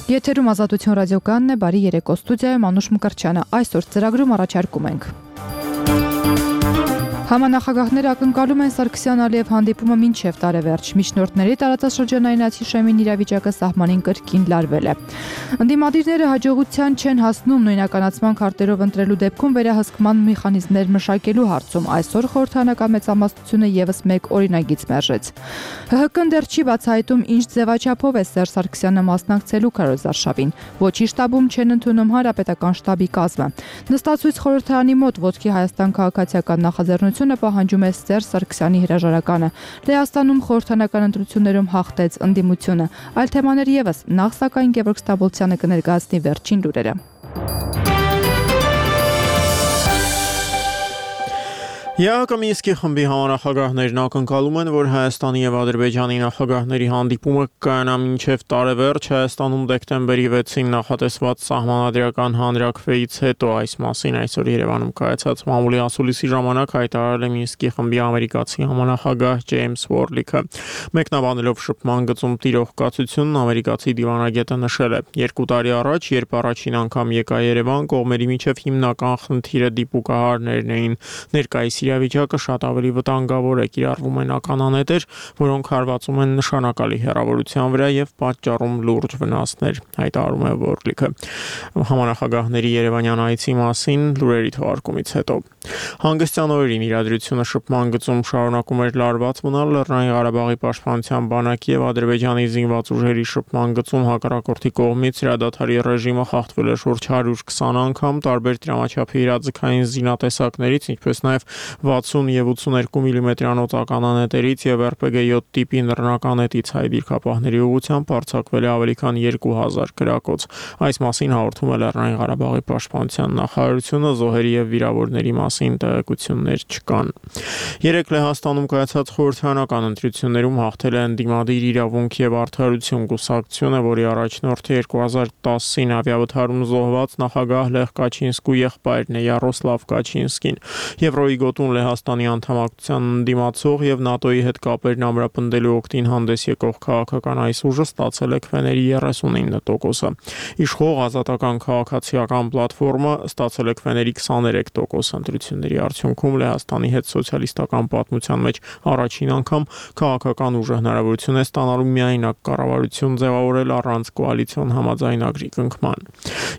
Եթերում Ազատություն ռադիոկայանն է, բարի երեկո, ստուդիայում Անուշ Մկրտչյանը, այսօր ծրագրում առաջարկում ենք. Համանախագահները ակնկալում են Սարգսյան-Ալիև հանդիպումը մինչև տարեվերջ, միջնորդների տարածաշրջանային ացիշեմին իրավիճակը սահմանին կրկին լարվել է։ Ընդդիմադիրները հաջողության չեն հասնում նույնականացման քարտերով ընտրելու դեպքում վերահսկման մեխանիզմներ մշակելու հարցում, այսօր խորհրդարանական մեծամասնությունը եւս մեկ օրինագիծ մերժեց։ ՀՀԿ-ն դեռ չի բացահայտում ինչ ձևաչափով է Սերժ Սարգսյանը մասնակցելու քարոզարշավին, ոչի շտաբում չեն ընդունում հանրապետական շտաբի կազմը։ Նստածույց խորհրդարանի մոտ ոտքի Հայաստան քաղաքացիական նախաձեռնությունը պահանջում է Սերժ Սարգսյանի հրաժարականը։ Լեհաստանում խորհրդարանական ընտրություններում հաղթեց ընդդիմությունը։ Այլ թեմաներ եւս, նախ սակայն Գևորգ Ստաբոլցյանը կներկայացնի վերջին լուրերը։ ԵԱՀԿ Մինսկի խմբի համանախագահներն ակնկալում են, որ Հայաստանի եւ Ադրբեջանի նախագահների հանդիպումը կայանա մինչև տարեվերջ Հայաստանում դեկտեմբերի 6-ին նախատեսված սահմանադրական հանրաքվեից հետո, այս մասին այսօր Երևանում կայացած մամուլի ասուլիսի ժամանակ հայտարարել է Մինսկի խմբի ամերիկացի համանախագահ Ջեյմս Վորլիքը։ Մեկնաբանելով շփման գծում տիրող կացությունն ամերիկացի դիվանագետը նշել է. 2 տարի առաջ, երբ առաջին անգամ եկա Երևան, կողմերի միջև հիմնական խնդիրը դիպուկահարներն էին, ներկայիս իրավիճակը շատ ավելի վտանգավոր է, կիրառվում են ականանետեր, որոնք հարվածում են նշանակալի հեռավորության վրա եւ պատճառում լուրջ վնասներ, հայտարարում է Վորլիքը։ Համանախագահների Երևանյան այցի մասին լուրերի թողարկումից հետո հանգստյան օրերին իրադրությունը շփման գծում շարունակում էր լարված մնալ Լեռնային Ղարաբաղի պաշտպանության բանակի եւ Ադրբեջանի զինված ուժերի շփման գծում հակառակորդի կողմից հրադադարի ռեժիմը խախտվել է շուրջ 120 անգամ, տարբեր տրամաչափի իրազեկային զինատեսակներից, ինչպես նաեւ 60 եւ 82 մմ-անոց ականանետերից եւ RPG-7 տիպի նռնականետից հայ դիրքապահների ուղղությամբ արձակվել է ավելի քան 2000 գրակոց։ Այս մասին հաղորդում է Լեռնային Ղարաբաղի պաշտպանության նախարարությունը, զոհերի եւ վիրավորների մասին տեղեկություններ չկան։ Երեկ Լեհաստանում կայացած խորհրդարանական ընտրություններում հաղթել է ընդդիմադիր իրավունք եւ արդարություն կուսակցությունը, որի առաջնորդը 2010-ին ավիավթարում զոհված նախագահ Լեխ Կաչինսկու եղբայրն է Յարոսլավ Կաչինսկին։ Եվրոյի գոտուն Լեհաստանի անդամակցության ընդդիմացող եւ ՆԱՏՕ-ի հետ կապերն ամրապնդելու օգտին հանդես եկող քաղաքական այս ուժը ստացել է քվեների 39%-ը։ Իշխող Ազատական քաղաքացիական պլատֆորմը ստացել է քվեների 23%։ Ընտրությունների արդյունքում Լեհաստանի հետ սոցիալիստական պատմության մեջ առաջին անգամ քաղաքական ուժը հնարավորություն է ստանալու միայնակ կառավարություն ձևավորել առանց կոալիցիոն համաձայնագրի կնքման։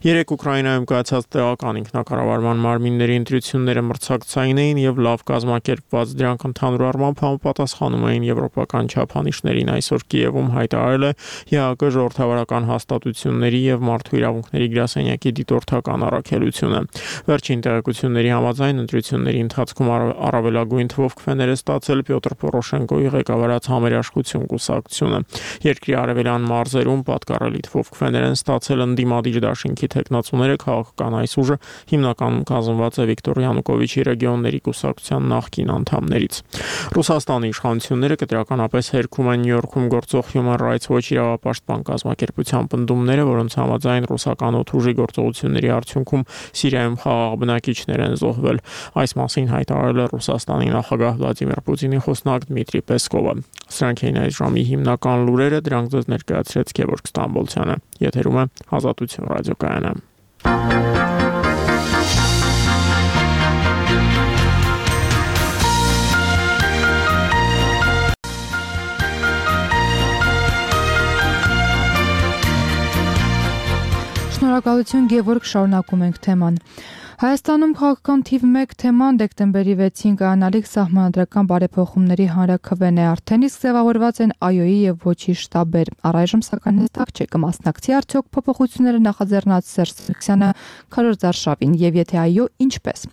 Երեկ Ուկրաինայում կայացած տեղական ինքնակառավարման մարմինների ընտրությունները մրցակցային էին եւ լավ կազմակերպված, դրանք ընդհանուր առմամբ համապատասխանում էին եվրոպական չափանիշներին, այսօր Կիևում հայտարարել է ԵԱՀԿ ժողովրդավարական հաստատությունների եւ մարդու իրավունքների գրասենյակի դիտորդական առաքելությունը։ Վերջին տեղեկությունների համաձայն ընտրությունների ընթացքում առավելագույն թվով քվեներ է ստացել Պյոտր Պորոշենկոյի ղեկավարած Համերաշխություն կուսակցությունը։ Երկրի արևելյան մարզերում պատկառելի թվով քվեներ են ստացել ընդդիմադիր դաշինքի թեկնածուները, քաղաքական այս ուժը հիմնականում կազմված է Վիկտոր Յանուկովիչի ռեգիոնների կուսակցության նախկին անդամներից։ Ռուսաստանի իշխանությունները կտրականապես հերքում են Նյու Յորքում գործող Human Rights Watch իրավապաշտպան կազմակերպության պնդումները, որոնց համաձայն ռուսական օդուժի գործողությունների արդյունքում Սիրիայում խաղաղ բնակիչներ են զոհվել։ Այս մասին հայտարարել է Ռուսաստանի նախագահ Վլադիմիր Պուտինի խոսնակ Դմիտրի Պեսկովը։ Սրանք էին այս ժամի հիմնական լուրերը, դրանք ձեզ ներկայացրեց Գևորգ Ստամբոլցյանը։ Եթերում է Ազատություն ռադիոկայանը։ Շնորհակալություն Գևորգ, շարունակում ենք թեման։ Հայաստանում քաղաքական թիվ 1 թեման դեկտեմբերի 6-ին կայանալիք սահմանադրական բարեփոխումների հանրաքվեն է, արդեն իսկ ձևավորված են ԱՅՈ-ի եւ ոչի շտաբեր։ Առայժմ սակայն հստակ չէ կմասնակցի արդյոք փոփոխությունները նախաձեռնած Սերժ Սարգսյանը քարոզարշավին եւ եթե այո, ինչպես։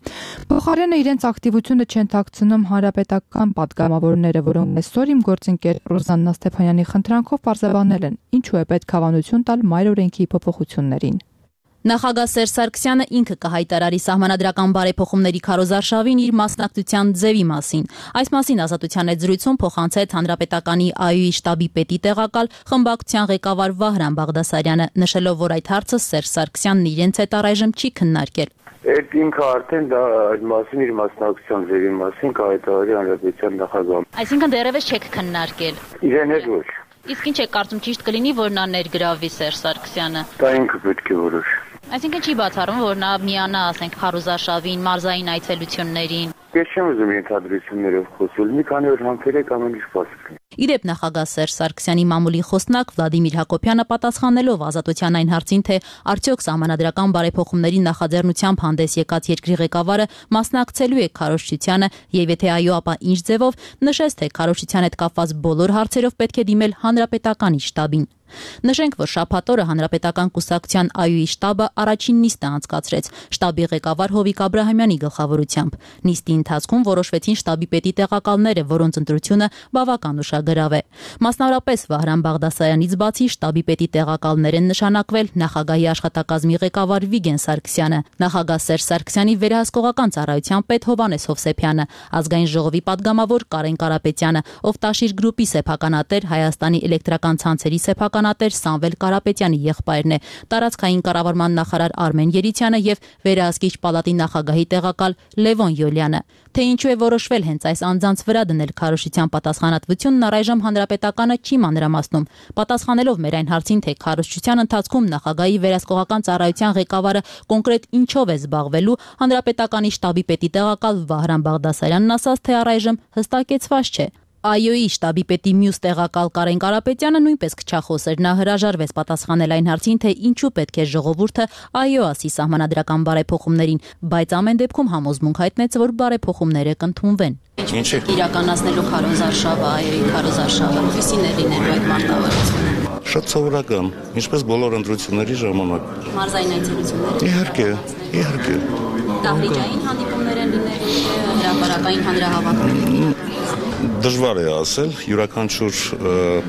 Փոխարենը իրենց ակտիվությունը չեն թաքցնում հանրապետական падգամավորները, որոնք այսօր իմ գործընկեր Ռոզաննա Ստեփանյանի խնդրանքով պարզաբանել են, ինչու է պետք հավանություն տալ մայր օրենքի փոփոխություններին։ Նախագահ Սերժ Սարգսյանը ինքը կհայտարարի սահմանադրական բարեփոխումների քարոզարշավին իր մասնակցության ձևի մասին։ Այս մասին Ազատության հետ զրույցում փոխանցեց Հանրապետականի ԱՅՈ-ի շտաբի պետի տեղակալ խմբակցության ղեկավար Վահրամ Բաղդասարյանը, նշելով, որ այդ հարցը Սերժ Սարգսյանն իրենց հետ առայժմ չի քննարկել։ Այդ ինքը արդեն դա այդ մասին իր մասնակցության ձևի մասին կհայտարարի Հանրապետության նախագահը։ Այսինքն դեռևս չեք քննարկել։ Իրեն հետ ոչ։ Իսկ ինչ է կարծում ճիշտ կլինի, որ նա ներգրավվի Սերժ Սարգսյանը։ Դա ինքը պետք է որոշի։ Այսինքն չի բացառվում, որ նա միանա, ասենք, քարոզարշավին, մարզային այցելություններին։ Ես չեմ ուզում ենթադրություններով խոսել, մի քանի օր համբերեք ամեն ինչ բացի։ Իդեպ նախագահ Սերժ Սարգսյանի մամուլի խոսնակ Վլադիմիր Հակոբյանը պատասխանելով Ազատության այն հարցին, թե արդյոք սահմանադրական բարեփոխումների նախաձեռնությամբ հանդես եկած երկրի ղեկավարը մասնակցելու է քարոզչությանը եւ եթե այո, ապա ինչ ձևով, նշեց, թե քարոզչության հետ կապված բոլոր հարցերով պետք է դիմել հանրապետականի շտաբին։ Նշենք, որ շաբաթ օրը Հանրապետական կուսակցության ԱՅՈ-ի շտաբը առաջին նիստը անցկացրեց շտաբի ղեկավար Հովիկ Աբրահամյանի գլխավորությամբ։ Նիստի ընթացքում որոշվեցին շտաբի պետի տեղակալները, որոնց ընտրությունը բավական ուշագրավ է։ Մասնավորապես Վահրամ Բաղդասարյանից բացի շտաբի պետի տեղակալներ են նշանակվել նախագահի աշխատակազմի ղեկավար Վիգեն Սարգսյանը, նախագահ Սերժ Սարգսյանի վերահսկողական ծառայության պետ Հովհաննես Հովսեփյանը, ազգային ժողովի падգամավոր Կարեն Կարապետյանը, Օվտաշիր գրուպի սեփականատեր Հայաստանի էլեկտրական ցանցերի սեփականատեր Սամվել Կարապետյանի եղբայրն է, տարածքային կառավարման նախարար Արմեն Երիցյանը եւ վերահսկիչ պալատի նախագահի տեղակալ Լևոն Յոլյանը։ Թե ինչու է որոշվել հենց այս անձանց վրա դնել քարոզչության պատասխանատվությունն առայժմ հանրապետականը չի մանրամասնում։ Պատասխանելով մեր այն հարցին, թե քարոզչության ընթացքում նախագահի վերահսկողական ծառայության ղեկավարը կոնկրետ ինչով է զբաղվելու, հանրապետականի շտաբի պետի տեղակալ Վահրամ Բաղդասարյանն ասաց, թե առայժմ հստակեցված չէ։ ԱՅՈ-ի շտաբի պետի մյուս տեղակալ Կարեն Կարապետյանը նույնպես քչախոս էր, նա հրաժարվեց պատասխանել այն հարցին, թե ինչու պետք է ժողովուրդը ԱՅՈ ասի սահմանադրական բարեփոխումներին, բայց ամեն դեպքում համոզմունք հայտնեց, որ բարեփոխումները կընդունվեն։ Ինչ է իրականացնելու քարոզարշավը, ԱՅՈ-ի քարոզարշավը, ո՞ւսին է լինելու այդ մարտավարությունը։ Շատ սովորական, ինչպես բոլոր ընտրությունների ժամանակ։ Մարզային այցելությունները։ Իհարկե։ Դահլիճային հանդիպումներ են լինելու, հրապարակային հանրահավաքներ։ Դժվար է ասել, յուրաքանչյուր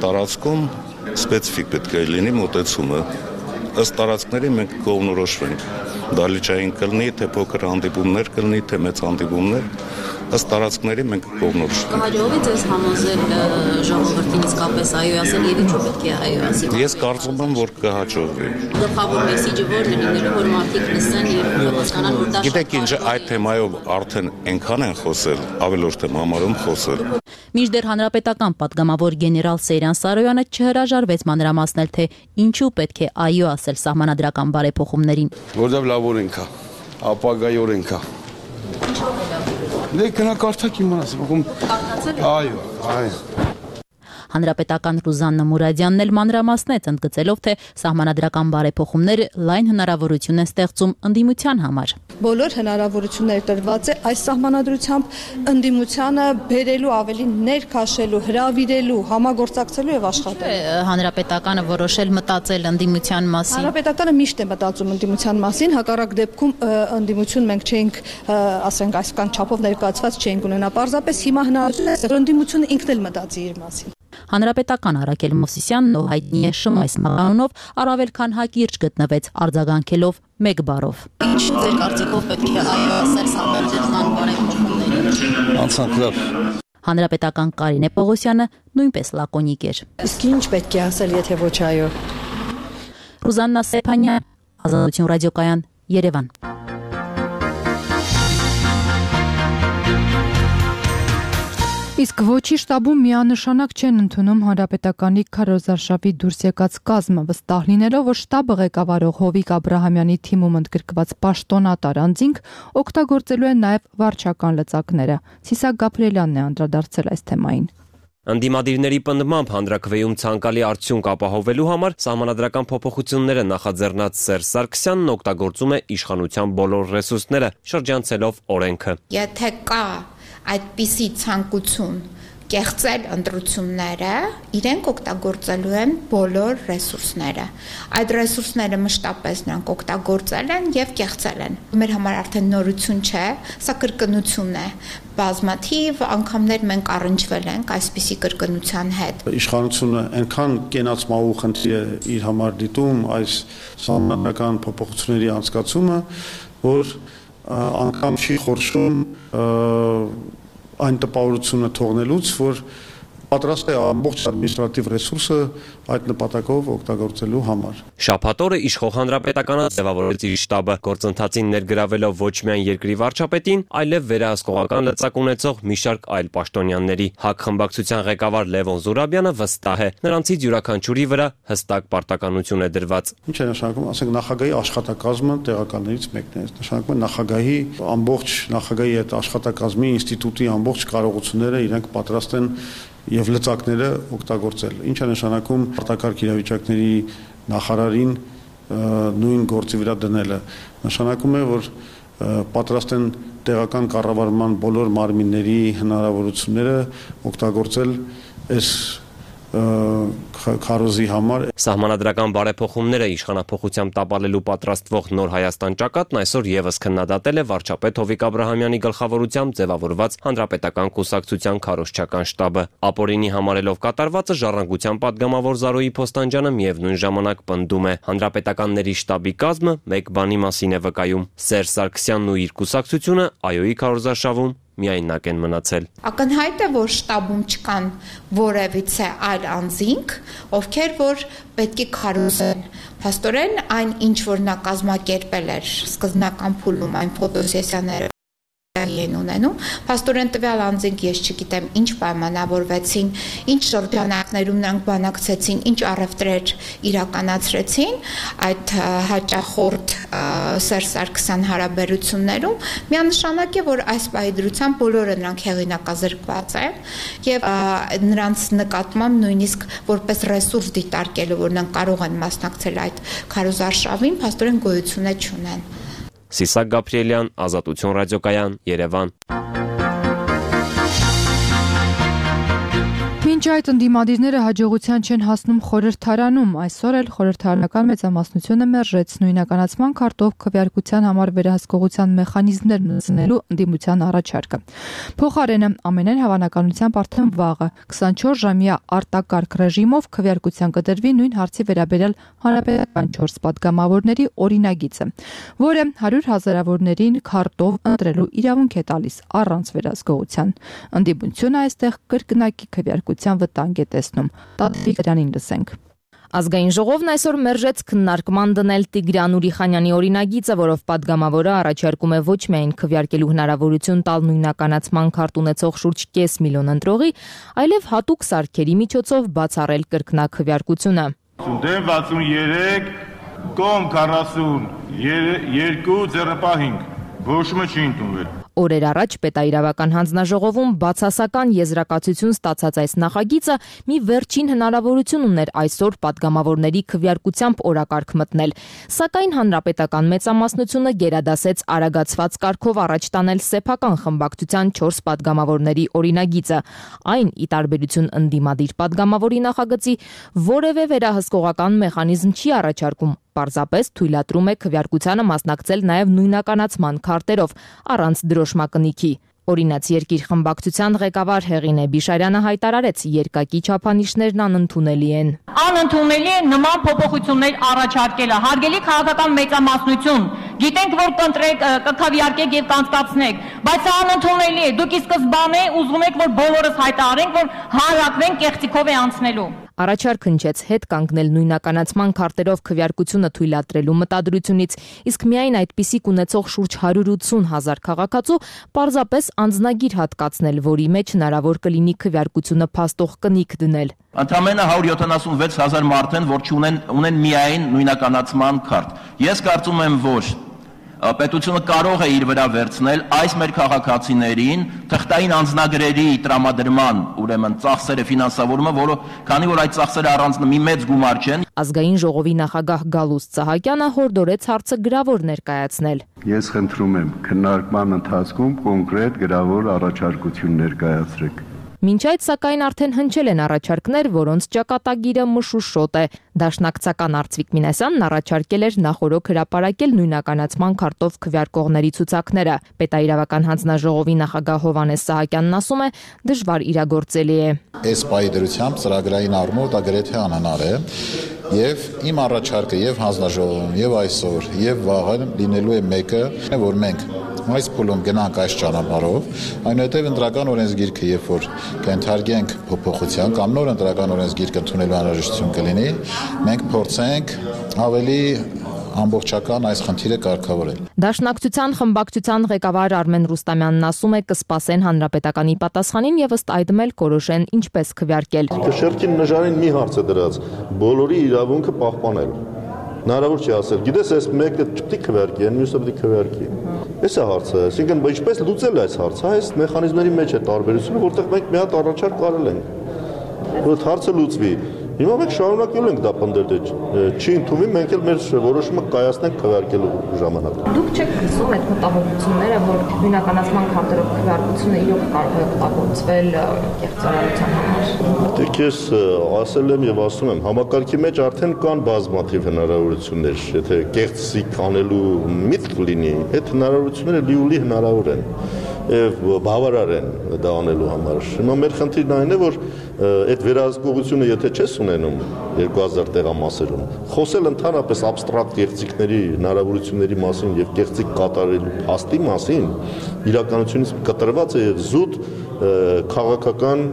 տարածքում սպეციფიկ պետք է լինի մոտեցումը։ Ըստ տարածքների մենք կողմնորոշվենք։ Դահլիճային կլինի, թե փոքր հանդիպումներ կլինի, թե մեծ հանդիպումներ, ըստ տարածքների մենք կողմնորոշվենք։ Կհաջողվի ձեզ համոզել ժողովրդին իսկապես ԱՅՈ ասել եւ ինչու պետք է ԱՅΟ ասի։ Ես կարծում եմ, որ կհաջողվի։ Գլխավոր մեսիջը որն է լինելու, որ մարդիկ լսեն եւ հասկանան, որ դա Գիտեք ինչ, այդ թեմայով արդեն այնքան են խոսել, ավելորդ եմ համարում խոսել։ Մինչդեռ հանրապետական падգամավոր գեներալ Սեյրան Սարոյանը չհրաժարվեց մանրամասնել, թե ինչու պետք է ԱՅՈ ասել սահմանադրական բարեփոխումներին։ Որտեղ լավ օրենք է, ապագայի օրենք է։ Դե կնակարդակ իմանաս, այո։ Հանրապետական Ռուզաննա Մուրադյանն էլ մանրամասնեց, ընդգծելով, թե սահմանադրական բարեփոխումները լայն հնարավորություն են ստեղծում ընդդիմության համար։ Բոլոր հնարավորությունները տրված է այս սահմանադրությամբ ընդդիմությանը բերելու, ավելի ներքաշելու, հրավիրելու, համագործակցելու եւ աշխատելու։ Հանրապետականը որոշել մտածել ընդդիմության մասին։ Հանրապետականը միշտ է մտածում ընդդիմության մասին, հակառակ դեպքում ընդդիմություն մենք չէինք, ասենք, այսքան չափով ներկայացված չէինք ունենա։ Պարզապես հիմա հնարավորություն է, որ ընդդիմությունը ինքն էլ մտածի իր մասին։ Հանրապետական Արաքել Մովսիսյանն ով հայտնի է Շմայս մականունով առավել քան հակիրճ գտնվեց արձագանքելով մեկ բառով։ Ինչ ձեր կարծիքով պետք է ԱՅՈ ասել սահմանադրական բարեփոխումներին։ Անցանքլավ։ Հանրապետական Կարինե Պողոսյանը նույնպես լակոնիկ էր։ Իսկ ինչ պետք է ասել, եթե ոչ ԱՅՈ։ Ռուզաննա Սեփանյան, Ազատություն ռադիոկայան, Երևան։ Իսկ ոչի շտաբում միանշանակ չեն ընդունում հանրապետականի քարոզարշավի դուրս եկած կազմը, վստահ լինելով, որ շտաբը ղեկավարող Հովիկ Աբրահամյանի թիմում ընդգրկված պաշտոնատար անձինք օգտագործելու են նաև վարչական լծակները։ Սիսակ Գաբրիելյանն է անդրադարձել այս թեմային։ Ընդդիմադիրների պնդմամբ հանրաքվեում ցանկալի արդյունք ապահովելու համար սահմանադրական փոփոխությունները նախաձեռնած Սերժ Սարգսյանն օգտագործում է իշխանության բոլոր ռեսուրսները, շրջանցելով օրենքը։ Եթե կա այդպիսի ցանկություն կեղծել ընտրությունները, իրենք օգտագործելու են բոլոր ռեսուրսները։ Այդ ռեսուրսները մշտապես նրանք օգտագործել են եւ կեղծել են։ Մեր համար արդեն նորություն չէ, սա կրկնություն է։ Բազմաթիվ անգամներ մենք առնչվել ենք այսպիսի կրկնության հետ։ Իշխանությունը այնքան կենացմահու խնդիր է իր համար դիտում այս սահմանադրական փոփոխությունների անցկացումը, որ անգամ չի խորշում այն տպավորությունը թողնելուց, որ պատրաստ է ամբողջ ադմինիստրատիվ ռեսուրսը այդ նպատակով օգտագործելու համար։ Շաբաթ օրը իշխող հանրապետականը ձևավորեց իր շտաբը, գործընթացին ներգրավելով ոչ միայն երկրի վարչապետին, այլև վերահսկողական լծակ ունեցող մի շարք այլ պաշտոնյաների։ ՀԱԿ խմբակցության ղեկավար Լևոն Զուրաբյանը վստահ է, նրանցից յուրաքանչյուրի վրա հստակ պարտականություն է դրված։ Ինչ է նշանակում, ասենք նախագահի աշխատակազմը տեղականներից մեկն է, նշանակում է նախագահի ամբողջ նախագահի այդ աշխատակազմի ինստիտուտի ամբողջ կարողությունները իրենք պատրաստ են եւ լծակները օգտագործել։ Ինչ է նշանակում արտակարգ իրավիճակների նախարարին նույն գործի վրա դնելը։ Նշանակում է, որ պատրաստ են տեղական կառավարման բոլոր մարմինների հնարավորությունները օգտագործել այս քարոզի համար։ Սահմանադրական բարեփոխումները իշխանափոխությամբ տապալելու պատրաստվող Նոր Հայաստան ճակատն այսօր եւս քննադատել է վարչապետ Հովիկ Աբրահամյանի գլխավորությամբ ձևավորված հանրապետական կուսակցության քարոզչական շտաբը։ Ապօրինի համարելով կատարվածը ժառանգության падգամավոր Զարոյի Փոստանջյանը միևնույն ժամանակ պնդում է, հանրապետականների շտաբի կազմը մեկ բանի մասին է վկայում։ Սերժ Սարգսյանն ու իր կուսակցությունը ԱՅՈ-ի քարոզարշավում միայնակ են մնացել։ Ակնհայտ է, որ շտաբում չկան որևիցե այլ անձինք, ովքեր որ պետք է քարոզեն։ Փաստորեն այն ինչ որ նա կազմակերպել էր սկզբնական փուլում այն ֆոտոսեսիաները են ունենում, փաստորեն տվյալ անձինք ես չգիտեմ ինչ պայմանավորվեցին, ինչ շրջանակներում նրանք բանակցեցին, ինչ առևտրեր իրականացրեցին այդ հաճախորդ Սերժ Սարգսյան հարաբերություններում, միանշանակ է, որ այս պահի դրությամբ բոլորը նրանք հեղինակազրկված են եւ նրանց նկատմամբ նույնիսկ որպես ռեսուրս դիտարկելու, որ նրանք կարող են մասնակցել այդ քարոզարշավին, փաստորեն գոյություն չունեն։ Սիսակ Գաբրիելյան, Ազատություն ռադիոկայան, Երևան։ Մինչ այդ ընդդիմադիրները հաջողության չեն հասնում խորհրդարանում, այսօր էլ խորհրդարանական մեծամասնությունը մերժեց նույնականացման քարտով քվեարկության համար վերահսկողության մեխանիզմներ մտցնելու ընդդիմության առաջարկը։ Փոխարենը ամենայն հավանականությամբ արդեն վաղը 24 ժամյա արտակարգ ռեժիմով քվեարկության կդրվի նույն հարցի վերաբերյալ հանրապետական 4 падգամավորների օրինագիծը, որը 100 հազարավորներին քարտով ընտրելու իրավունք է տալիս առանց վերահսկողության։ Ընդդիմությունը այստեղ կրկնակի քվեարկության վտանգ է տեսնում։ Տաթևիկ Գրանին լսենք։ Ազգային ժողովն այսօր մերժեց քննարկման դնել Տիգրան Ուրիխանյանի օրինագիծը, որով падգամավորը առաջարկում է ոչ միայն քվեարկելու հնարավորություն տալ նույնականացման քարտ ունեցող շուրջ 500 միլիոն ընտրողի, այլև հատուկ սարքերի միջոցով բացառել կրկնակվեարկությունը։ Դեմ 63, կողմ 42, ձեռնպահ 5, որոշումը չի ընդունվել։ Օրեր առաջ պետաիրավական հանձնաժողովում բացասական եզրակացություն ստացած այս նախագիծը մի վերջին հնարավորություն ուներ այսօր падգամավորների քվեարկությամբ օրակարգ մտնել, սակայն հանրապետական մեծամասնությունը գերադասեց արագացված կարգով առաջ տանել սեփական խմբակցության 4 падգամավորների օրինագիծը, այն ի տարբերություն ընդդիմադիր падգամավորի նախագծի որևէ վերահսկողական մեխանիզմ չի առաջարկում, պարզապես թույլատրում է քվեարկությանը մասնակցել նաև նույնականացման քարտերով առանց դրոշմակնիքի։ Օրինաց երկիր խմբակցության ղեկավար Հեղինե Բիշարյանը հայտարարեց, երկակի չափանիշներն անընդունելի են։ Անընդունելի է նման փոփոխություններ առաջարկելը։ Հարգելի քաղաքական մեծամասնություն, գիտենք, որ կքվեարկեք եւ կանցկացնեք, բայց անընդունելի է։ Դուք ի սկզբանե ուզում եք, որ բոլորս հայտարարենք, որ հանրակրեն կեղծիքով է անցնելու։ Առաջարկ հնչեց հետ կանգնել նույնականացման քարտերով քվեարկությունը թույլատրելու մտադրությունից, իսկ միայն այդպիսիք ունեցող շուրջ 180 հազար քաղաքացու պարզապես անձնագիր հատկացնել, որի մեջ հնարավոր կլինի քվեարկությունը փաստող կնիկ դնել։ Ընդամենը 176 հազար մարդ են, որ ունեն միայն նույնականացման քարտ։ Ես կարծում եմ, որ պետությունը կարող է իր վրա վերցնել այս մեր քաղաքացիներին թղթային անձնագրերի տրամադրման, ուրեմն ծախսերը ֆինանսավորումը, որը քանի որ այդ ծախսերը առանց մի մեծ գումար չեն։ Ազգային ժողովի նախագահ Գալուստ Սահակյանը հորդորեց հարցը գրավոր ներկայացնել։ Ես խնդրում եմ քննարկման ընթացքում կոնկրետ գրավոր առաջարկություն ներկայացրեք։ Մինչ այդ սակայն արդեն հնչել են առաջարկներ, որոնց ճակատագիրը մշուշոտ է։ Դաշնակցական Արծվիկ Մինասյանն առաջարկել էր նախօրոք հրապարակել նույնականացման քարտով քվեարկողների ցուցակները։ Պետաիրավական հանձնաժողովի նախագահ Հովհաննես Սահակյանն ասում է, դժվար իրագործելի է։ Այս պահի դրությամբ ծրագրային առումով դա գրեթե անհնար է։ Եվ իմ առաջարկը եւ հանձնաժողովում եւ այսօր եւ վաղը լինելու է մեկը, որ մենք այս փուլում գնանք այս ճանապարհով, այնուհետև ընտրական օրենսգիրքը, երբ որ կընթարկենք փոփոխության կամ նոր ընտրական օրենսգիրք ընդունելու անհրաժեշտություն կլինի, մենք փորձենք ավելի ամբողջական այս խնդիրը կարգավորել։ Դաշնակցության խմբակցության ղեկավար Արմեն Ռուստամյանն ասում է կսպասեն հանրապետականի պատասխանին եւ ըստ այդմ էլ կորոշեն ինչպես քվեարկել։ Շերտին նժարին մի հարց է դրած, բոլորի իրավունքը պահպանել։ Հնարավոր չի ասել, գիտես, այս մեկը չպետք է քվեարկի, մյուսը պետք է քվեարկի։ Էս է հարցը, այսինքն ինչպես լուծել այս հարցը, այս մեխանիզմների մեջ է տարբերությունը, որտեղ մենք մի հատ առաջարկ արել ենք, որ հարցը լուծվի։ Հիմա մենք շարունակել ենք դա պնդել, չի ընդունվում, մենք էլ մեր որոշումը կայացնենք քվեարկելու ժամանակ։ Դուք չեք քսում այդ մտահոգությունները, որ նույնականացման քարտերով քվեարկությունը իրոք կարող է օգտագործվել կեղծարարության համար։ Դեք ես ասել եմ եւ ասում եմ, համակարգի մեջ արդեն կան բազմաթիվ հնարավորություններ, եթե կեղծիկ անելու միտք լինի, այդ հնարավորությունները լիուլի հնարավոր են եւ բավարար են դա անելու համար։ Հիմա մեր խնդիրն այն է, որ այդ վերահսկողությունը եթե չես ունենում 2000 տեղամասերում, խոսել ընդհանրապես абստրակտ կեղծիքների հնարավորությունների մասին եւ կեղծիկ կատարելու փաստի մասին, իրականությունից կտրված է եւ զուտ քաղաքական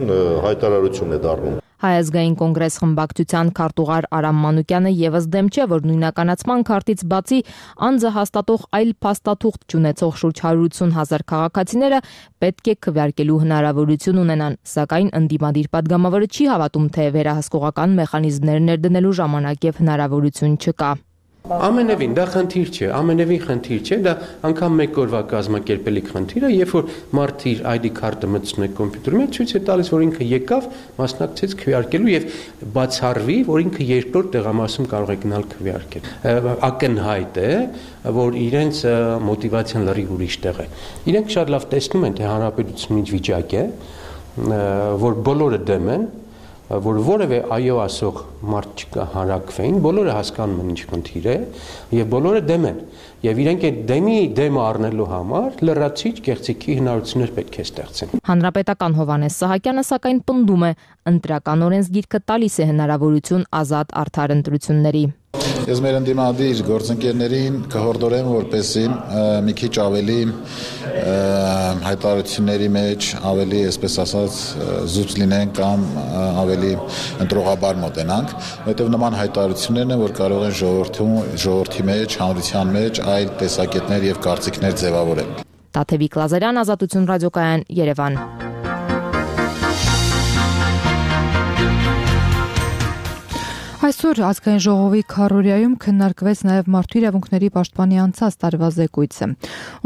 հայտարարություն է դառնում։ Հայ ազգային կոնգրես խմբակցության քարտուղար Արամ Մանուկյանը եւս դեմ չէ, որ նույնականացման քարտից բացի անձը հաստատող այլ փաստաթուղթ չունեցող շուրջ 180,000 քաղաքացիները պետք է քվեարկելու հնարավորություն ունենան, սակայն ընդդիմադիր падգամավորը չի հավատում, թե վերահսկողական մեխանիզմներ ներդնելու ժամանակ եւ հնարավորություն չկա։ Ամենևին դա խնդիր չէ, ամենևին խնդիր չէ, դա անգամ մեկ օրվա կազմակերպելիք խնդիր է, երբ որ մարդը իր ID քարտը մտցնում է կոմպյուտերի մեջ, ցույց է տալիս, որ ինքը եկավ, մասնակցեց քվեարկելու եւ բացառվի, որ ինքը երկրորդ տեղամասում կարող է գնալ քվեարկել։ Ակնհայտ է, որ իրենց մոտիվացիան լրիվ ուրիշ տեղ է։ Իրենք շատ լավ տեսնում են, թե հանրապետությունն ինչ վիճակ է, որ բոլորը դեմ են, որ որևէ այո ասող մարդ չկա հանրակրվեին, բոլորը հասկանում են ինչ խնդիր է եւ բոլորը դեմ են եւ իրենք այդ դեմը առնելու համար լրացիչ կեղծիքի հնարավորություններ պետք է ստեղծեն։ Հանրապետական Հովհաննես Սահակյանը սակայն պնդում է, ընտրական օրենսգիրքը տալիս է հնարավորություն ազատ արդար ընտրությունների։ Ես մեր ընդդիմադիր գործընկերներին կհորդորեմ, որպեսզի մի քիչ ավելի հայտարարությունների մեջ ավելի, այսպես ասած, զուտ լինեն կամ ավելի ընտրողաբար մոտենանք, որովհետև նման հայտարարություններն են, որ կարող են ժողովրդի մեջ, հանրության մեջ այլ տեսակետներ եւ կարծիքներ ձևավորել։ Տաթևիկ Լազարյան, Ազատություն ռադիոկայան, Երևան։ Այսօր ազգային ժողովի քառորյայում քննարկվեց նաև մարդու իրավունքների պաշտպանի անցած տարվա զեկույցը։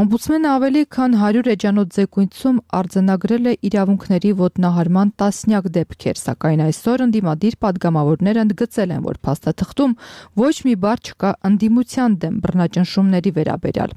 Օմբուդսմենը ավելի քան 100 էջանոց զեկույցում արձանագրել է իրավունքների ոտնահարման տասնյակ դեպքեր, սակայն այսօր ընդդիմադիր падգամավորները ընդգծել են, որ փաստաթղթում ոչ մի բառ չկա ընդդիմության դեմ բռնաճնշումների վերաբերյալ։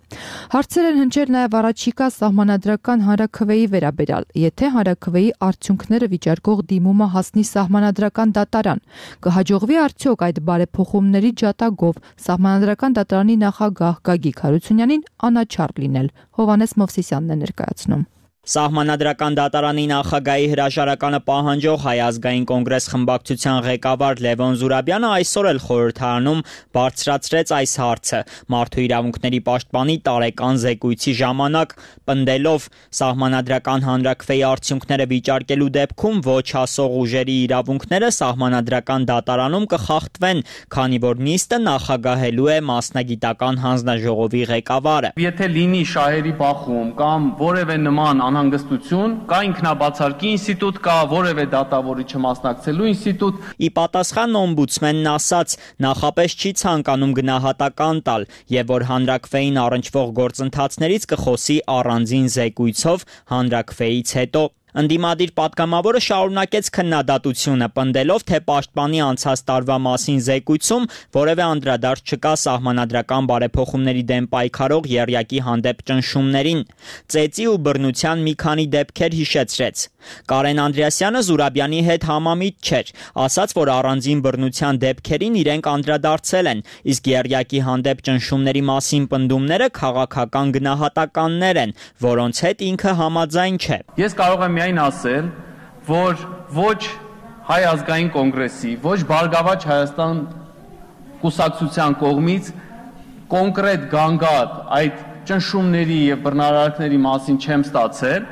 Հարցեր են հնչել նաև առաջիկա սահմանադրական հանրաքվեի վերաբերյալ, եթե հանրաքվեի արդյունքները վիճարկող դիմումը հասնի սահմանադրական դատարան, կհաջողվի արդյոք այդ բարեփոխումների ջատագով սահմանադրական դատարանի նախագահ Գագիկ Հարությունյանին անաչառ լինել։ Հովհաննես Մովսիսյանն է ներկայացնում։ Սահմանադրական դատարանի նախագահի հրաժարականը պահանջող Հայ ազգային կոնգրես խմբակցության ղեկավար Լևոն Զուրաբյանը այսօր էլ խորհրդարանում բարձրացրեց այս հարցը։ Մարդու իրավունքների պաշտպանի տարեկան զեկույցի ժամանակ պնդելով սահմանադրական հանրաքվեի արդյունքները վիճարկելու դեպքում ոչ հասող ուժերի իրավունքները սահմանադրական դատարանում կխախտվեն, քանի որ նիստը նախագահելու է մասնագիտական հանձնաժողովի ղեկավարը։ Եթե լինի շահերի բախում կամ որևէ նման անհանգստություն, կա ինքնաբացարկի ինստիտուտ, կա որևէ դատավորի չմասնակցելու ինստիտուտ։ Ի պատասխան օմբուդսմենն ասաց, նախապես չի ցանկանում գնահատական տալ եւ որ հանրաքվեին առնչվող գործընթացներից կխոսի առանձին զեկույցով հանրաքվեից հետո։ Ընդդիմադիր падգամավորը շարունակեց քննադատությունը, պնդելով, թե պաշտպանի անցած տարվա մասին զեկույցում որևէ անդրադարձ չկա սահմանադրական բարեփոխումների դեմ պայքարող եռյակի հանդեպ ճնշումներին։ Ծեծի ու բռնության մի քանի դեպքեր հիշեցրեց։ Կարեն Անդրեասյանը Զուրաբյանի հետ համամիտ չէր, ասաց, որ առանձին բռնության դեպքերին իրենք անդրադարձել են, իսկ եռյակի հանդեպ ճնշումների մասին պնդումները քաղաքական գնահատականներ են, որոնց հետ ինքը համաձայն չէ։ Ես կարող եմ միայն ասել, որ ոչ Հայ ազգային կոնգրեսի, ոչ Բարգավաճ Հայաստան կուսակցության կողմից կոնկրետ գանգատ այդ ճնշումների եւ բռնարարքների մասին չեմ ստացել։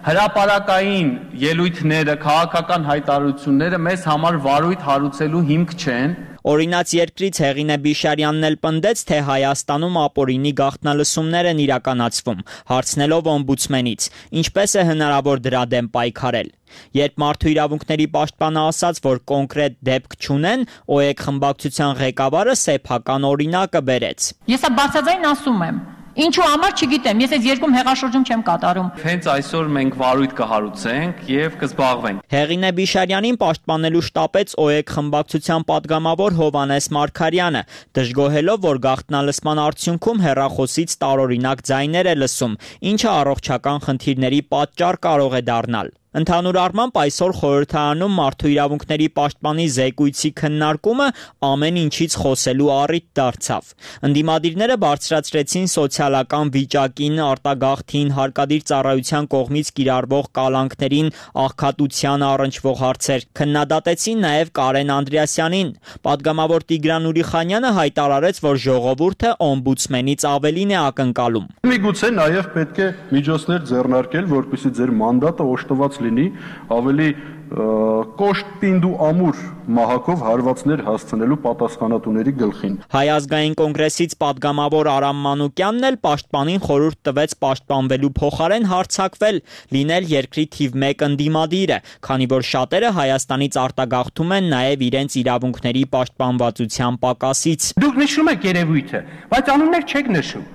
Հրապարակային ելույթները, քաղաքական հայտարարությունները մեզ համար վարույթ հարուցելու հիմք չեն։ Օրինաց երկրից Հեղինե Բիշարյանն էլ պնդեց, թե Հայաստանում ապօրինի գաղտնալսումներ են իրականացվում, հարցնելով օմբուդսմենից, ինչպես է հնարավոր դրա դեմ պայքարել։ Երբ Մարդու իրավունքների պաշտպանը ասաց, որ կոնկրետ դեպք չունեն, ՕԵԿ խմբակցության ղեկավարը սեփական օրինակը բերեց։ Ես բարձրաձայն ասում եմ, ինչու համար չգիտեմ, ես այս երկում հեղաշրջում չեմ կատարում։ Հենց այսօր մենք վարույթ կհարուցենք եւ կզբաղվենք։ Հեղինե Բիշարյանին պաշտպանելու շտապեց ՕԵԿ խմբակցության պատգամավոր Հովհաննես Մարգարյանը, դժգոհելով, որ գաղտնալսման արդյունքում հեռախոսից տարօրինակ ձայներ է լսում, ինչը առողջական խնդիրների պատճառ կարող է դառնալ։ Ընդհանուր առմամբ այսօր խորհրդարանում Մարդու իրավունքների պաշտպանի զեկույցի քննարկումը ամեն ինչից խոսելու առիթ դարձավ։ Ընդդիմադիրները բարձրացրեցին սոցիալական վիճակին, արտագաղթին, հարկադիր ծառայության կողմից կիրառվող կալանքներին, աղքատության առնչվող հարցեր, քննադատեցին նաև Կարեն Անդրեասյանին։ Պատգամավոր Տիգրան Ուրիխանյանը հայտարարեց, որ ժողովուրդը օմբուդսմենից ավելին է ակնկալում։ Միգուցե նաև պետք է միջոցներ ձեռնարկել, որպեսզի ձեր մանդատը օժտված լինի ավելի կոշտ պինդ ու ամուր մահակով հարվածներ հասցնելու պատասխանատուների գլխին։ Հայ ազգային կոնգրեսից պատգամավոր Արամ Մանուկյանն էլ պաշտպանին խորհուրդ տվեց պաշտպանվելու փոխարեն հարձակվել, լինել երկրի թիվ 1 ընդդիմադիրը, քանի որ շատերը Հայաստանից արտագաղթում են նաև իրենց իրավունքների պաշտպանվածության պակասից։ Դուք նշում եք երևույթը, բայց անուններ չեք նշում։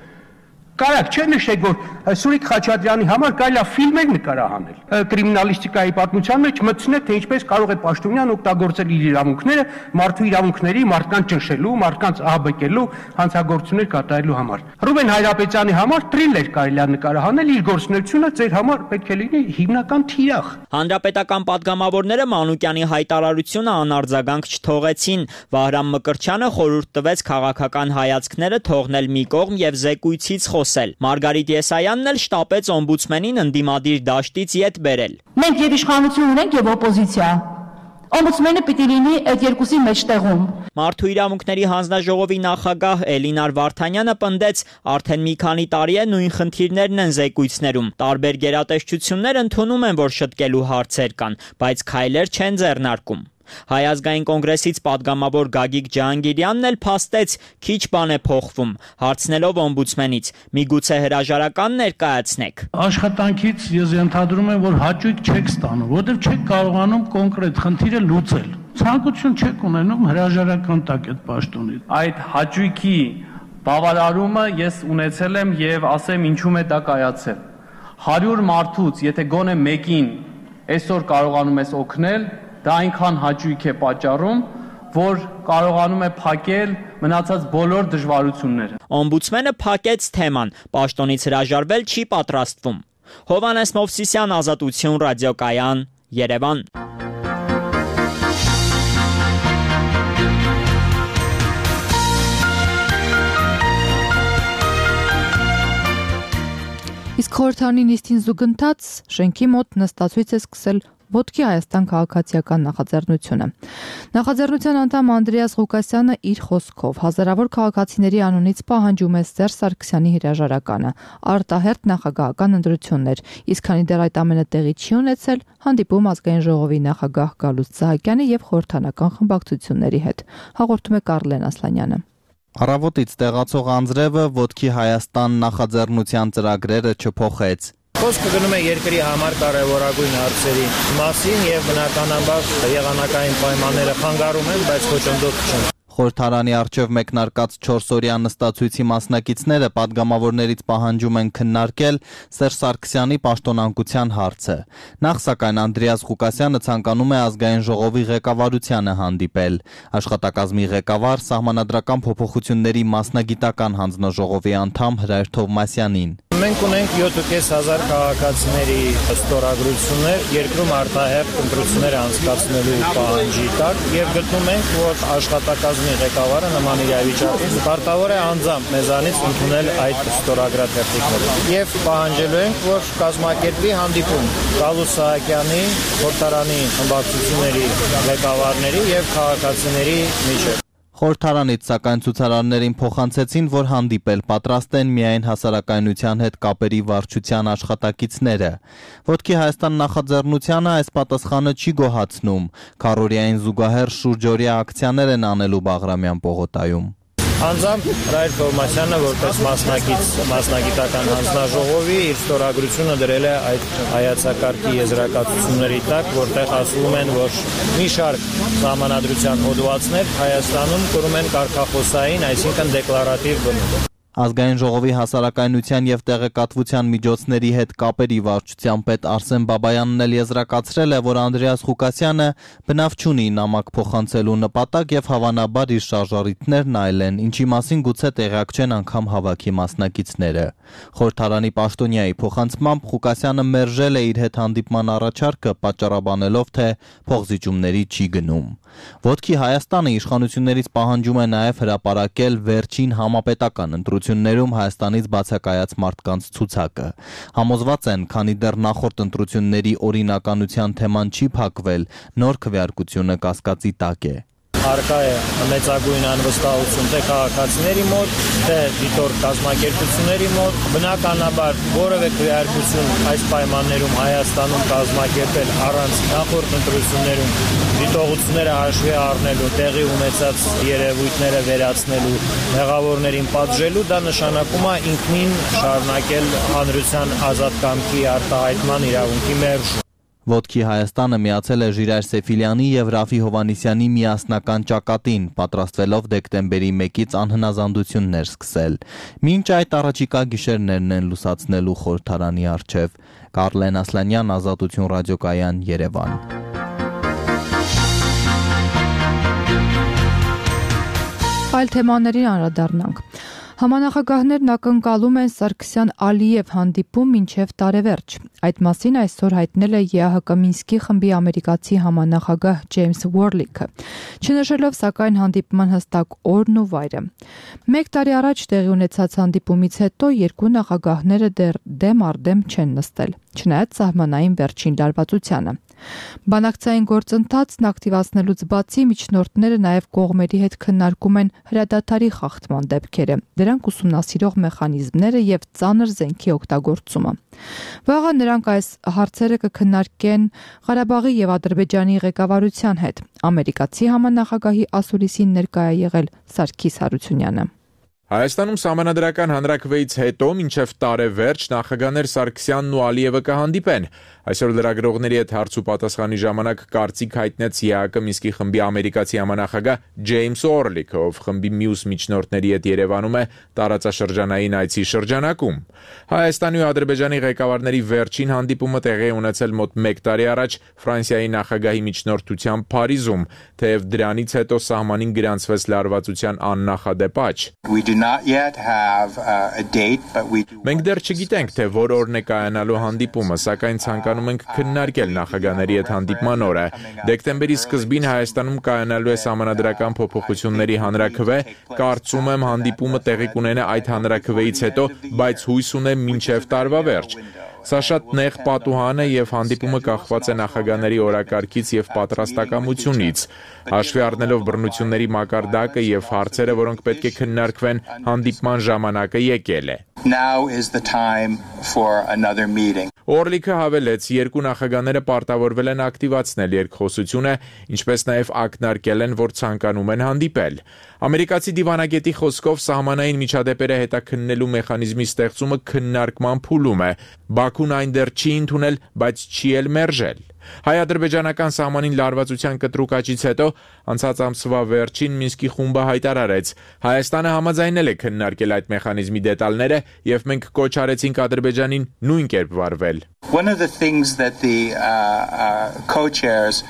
Կարակ չէ նշեք, որ Սուրիկ Խաչատրյանի համար կարելի է ֆիլմեր նկարահանել։ Կրիմինալիստիկայի պատմության մեջ մտցնել, թե ինչպես կարող է Պաշտոնյան օգտագործել իր իրավունքները մարդու իրավունքների, մարդկանց ճնշելու, մարդկանց ահաբեկելու, հանցագործություններ կատարելու համար։ Ռուբեն Հայրապետյանի համար թրիլեր կարելի է նկարահանել, իր գործունեությունը ձեր համար պետք է լինի հիմնական թիրախ։ Հանրապետական պատգամավորները Մանուկյանի հայտարարությունը անարձագանք չթողեցին։ Վահրամ Մկրտչյանը խորհուրդ տվեց քաղաքական հայացքները թողնել մի կողմ եւ զեկույցից Մարգարիտ Եսայանն էլ շտապեց օմբուդսմենին ընդդիմադիր դաշտից ետ բերել։ Մենք եւ իշխանություն ունենք եւ օպոզիցիա։ Օմբուդսմենը պիտի լինի այդ երկուսի մեջտեղում։ Մարդու իրավունքների հանձնաժողովի նախագահ Էլինար Վարդանյանը պնդեց, արդեն մի քանի տարի է նույն խնդիրներն են զեկույցներում։ Տարբեր գերատեսչություններ ընդունում են, որ շտկելու հարցեր կան, բայց քայլեր չեն ձեռնարկում։ Հայ ազգային կոնգրեսից պատգամավոր Գագիկ Ջահանգիրյանն էլ փաստեց, քիչ բան է փոխվում, հարցնելով օմբուդսմենից՝ միգուցե հրաժարական ներկայացնեք։ Աշխատանքից ես ենթադրում եմ, որ հաճույք չեք ստանում, որովհետև չեք կարողանում կոնկրետ խնդիրը լուծել։ Ցանկություն չեք ունենում հրաժարական տակ այդ պաշտոնից։ Այդ հաճույքի բավարարումը ես ունեցել եմ եւ ասեմ ինչու է դա կայացել։ 100 մարդուց, եթե գոնե մեկին այսօր կարողանում ես օգնել, դա այնքան հաճույք է պատճառում, որ կարողանում է փակել մնացած բոլոր դժվարությունները։ Օմբուդսմենը փակեց թեման, պաշտոնից հրաժարվել չի պատրաստվում։ Հովհաննես Մովսիսյան, Ազատություն ռադիոկայան, Երևան։ Իսկ խորհրդարանի նիստին զուգընթաց շենքի մոտ նստացույց է սկսել Ոտքի Հայաստան քաղաքացիական նախաձեռնությունը։ Նախաձեռնության անդամ Անդրեաս Ղուկասյանը իր խոսքով հազարավոր քաղաքացիների անունից պահանջում է Սերժ Սարգսյանի հրաժարականը, արտահերթ նախագահական ընտրություններ, իսկ քանի դեռ այդ ամենը տեղի չի ունեցել, հանդիպում ազգային ժողովի նախագահ Գալուստ Սահակյանի եւ խորհրդանական խմբակցությունների հետ։ Հաղորդում է Կարլեն Ասլանյանը։ Առավոտից տեղացող անձրևը Ոտքի Հայաստան նախաձեռնության ծրագրերը չփոխեց։ Խոսքը գնում է երկրի համար կարևորագույն հարցերի մասին եւ բնականաբար եղանակային պայմանները խանգարում են, բայց խոչընդոտ չեն։ Խորհրդարանի առջև մեկնարկած 4-օրյա նստացույցի մասնակիցները պատգամավորներից պահանջում են քննարկել Սերժ Սարգսյանի պաշտոնանկության հարցը։ Նախ սակայն Անդրեաս Ղուկասյանը ցանկանում է ազգային ժողովի ղեկավարությանը հանդիպել։ Աշխատակազմի ղեկավար Սահմանադրական փոփոխությունների մասնագիտական հանձնաժողովի անդամ Հրայր Թովմասյանին։ Մենք ունենք 7,500 քաղաքացիների ստորագրություններ երկրում արտահերթ ընտրություններ անցկացնելու պահանջի տակ եւ գտնում ենք, որ աշխատակազմի ղեկավարը նման իրավիճակում պարտավոր է անձամբ մեզանից ընդունել այդ ստորագրաթերթիկները։ Եվ պահանջելու ենք, որ կազմակերպվի հանդիպում Գալուստ Սահակյանի, խորհրդարանի խմբակցությունների ղեկավարների եւ քաղաքացիների միջեւ։ Խորհրդարանից սակայն ցուցարարներին փոխանցեցին, որ հանդիպել պատրաստ են միայն հասարակայնության հետ կապերի վարչության աշխատակիցները։ Ոտքի Հայաստան նախաձեռնությանը այս պատասխանը չի գոհացնում։ Քառօրյային զուգահեռ շուրջօրյա ակցիաներ են անելու Բաղրամյան պողոտայում։ Անձամբ Ռայր Թովմասյանը որպես մասնագիտական հանձնաժողովի իր ստորագրությունը դրել է այդ հայացակարգի եզրակացությունների տակ, որտեղ ասվում են, որ մի շարք սահմանադրության հոդվածներ Հայաստանում կրում են կարգախոսային, այսինքն դեկլարատիվ բնույթ։ Ազգային ժողովի հասարակայնության եւ տեղեկատվության միջոցների հետ կապերի վարչության պետ Արսեն Բաբայանն էլ եզրակացրել է, որ Անդրեաս Ղուկասյանը բնավ չունի նամակ փոխանցելու նպատակ եւ հավանաբար իր շարժառիթներն այլ են, ինչի մասին գուցե տեղյակ չեն անգամ հավաքի մասնակիցները։ Խորհրդարանի պաշտոնյայի փոխանցմամբ Ղուկասյանը մերժել է իր հետ հանդիպման առաջարկը, պատճառաբանելով, թե փոխզիջումների չի գնում։ Ոտքի Հայաստանը իշխանություններից պահանջում է նաև հրապարակել վերջին համապետական ընտրություններում Հայաստանից բացակայած մարդկանց ցուցակը։ Համոզված են, քանի դեռ նախորդ ընտրությունների օրինականության թեման չի փակվել, նոր քվեարկությունը կասկածի տակ է։ Արկա է մեծագույն անվստահություն թե քաղաքացիների մոտ, թե դիտորդ կազմակերպությունների մոտ, բնականաբար որևէ քվեարկություն այս պայմաններում Հայաստանում կազմակերպել առանց նախորդ ընտրություններում դիտողությունները հաշվի առնելու, տեղի ունեցած երևույթները վերացնելու, մեղավորներին պատժելու, դա նշանակում է ինքնին շարունակել հանրության ազատ կամքի արտահայտման իրավունքի մերժում։ Ոտքի Հայաստանը միացել է Ժիրայր Սեֆիլյանի եւ Ռաֆի Հովանիսյանի միասնական ճակատին, պատրաստվելով դեկտեմբերի 1-ից անհնազանդություններ սկսել։ Մինչ այդ առաջիկա գիշերներն են լուսացնելու խորհրդարանի առջև։ Կարլեն Ասլանյան, Ազատություն ռադիոկայան, Երևան։ Այլ թեմաներին անդրադառնանք։ Համանախագահներն ակնկալում են Սարգսյան-Ալիև հանդիպում մինչև տարեվերջ։ Այդ մասին այսօր հայտնել է ԵԱՀԿ Մինսկի խմբի ամերիկացի համանախագահ Ջեյմս Ուորլիքը, չնշելով սակայն հանդիպման հստակ օրն ու վայրը։ Մեկ տարի առաջ տեղի ունեցած հանդիպումից հետո երկու նախագահները դեռ դեմ առ դեմ չեն նստել, չնայած սահմանային վերջին լարվածությանը։ Բանակցային գործընթացն ակտիվացնելուց բացի միջնորդները նաև կողմերի հետ քննարկում են հրադադարի խախտման դեպքերը, դրանք ուսումնասիրող մեխանիզմները եւ ծանր զենքի օգտագործումը։ Վաղը նրանք այս հարցերը կքննարկեն Ղարաբաղի եւ Ադրբեջանի ղեկավարության հետ։ Ամերիկացի համանախագահի ասուլիսին ներկայ է եղել Սարգիս Հարությունյանը։ Հայաստանում սահմանադրական հանրաքվեից հետո մինչև տարեվերջ նախագահներ Սարգսյանն ու Ալիևը կհանդիպեն։ Այսօր լրագրողների հետ հարց ու պատասխանի ժամանակ կարծիք հայտնեց ԵԱՀԿ Մինսկի խմբի ամերիկացի համանախագահ Ջեյմս Ուորլիքը, ով խմբի մյուս միջնորդների հետ Երևանում է տարածաշրջանային այցի շրջանակում։ Հայաստանի ու Ադրբեջանի ղեկավարների վերջին հանդիպումը տեղի է ունեցել մոտ 1 տարի առաջ Ֆրանսիայի նախագահի միջնորդությամբ Փարիզում, թեև դրանից հետո սահմանին գրանցվեց լարվածության աննախադեպ աճ։ Մենք դեռ չգիտենք, թե որ օրն է կայանալու հանդիպումը, սակայն ցանկանում ենք քննարկել նախագահների հետ հանդիպման օրը։ Դեկտեմբերի սկզբին Հայաստանում կայանալու է սահմանադրական փոփոխությունների հանրաքվե, կարծում եմ հանդիպումը տեղի կունենա այդ հանրաքվեից հետո, բայց հույս ունեմ մինչև տարվա վերջ։ Սա շատ նեղ պատուհան է եւ հանդիպումը կախված է նախագահների օրակարգից եւ պատրաստակամությունից։ Հաշվի առնելով բռնությունների մակարդակը եւ հարցերը, որոնք պետք է քննարկվեն, հանդիպման ժամանակը եկել է։ Օրլիքը հավելեց, երկու նախագահները պարտավորվել են ակտիվացնել երկխոսությունը, ինչպես նաև ակնարկել են, որ ցանկանում են հանդիպել։ Ամերիկացի դիվանագետի խոսքով սահմանային միջադեպերը հետաքննելու մեխանիզմի ստեղծումը քննարկման փուլում է։ Բաքուն այն դեռ չի ընդունել, բայց չի էլ մերժել։ Հայ-ադրբեջանական սահմանին լարվածության կտրուկ աճից հետո անցած ամսվա վերջին Մինսկի խումբը հայտարարեց. Հայաստանը համաձայնել է քննարկել այդ մեխանիզմի դետալները եւ մենք կոչ արեցինք Ադրբեջանին նույն կերպ վարվել։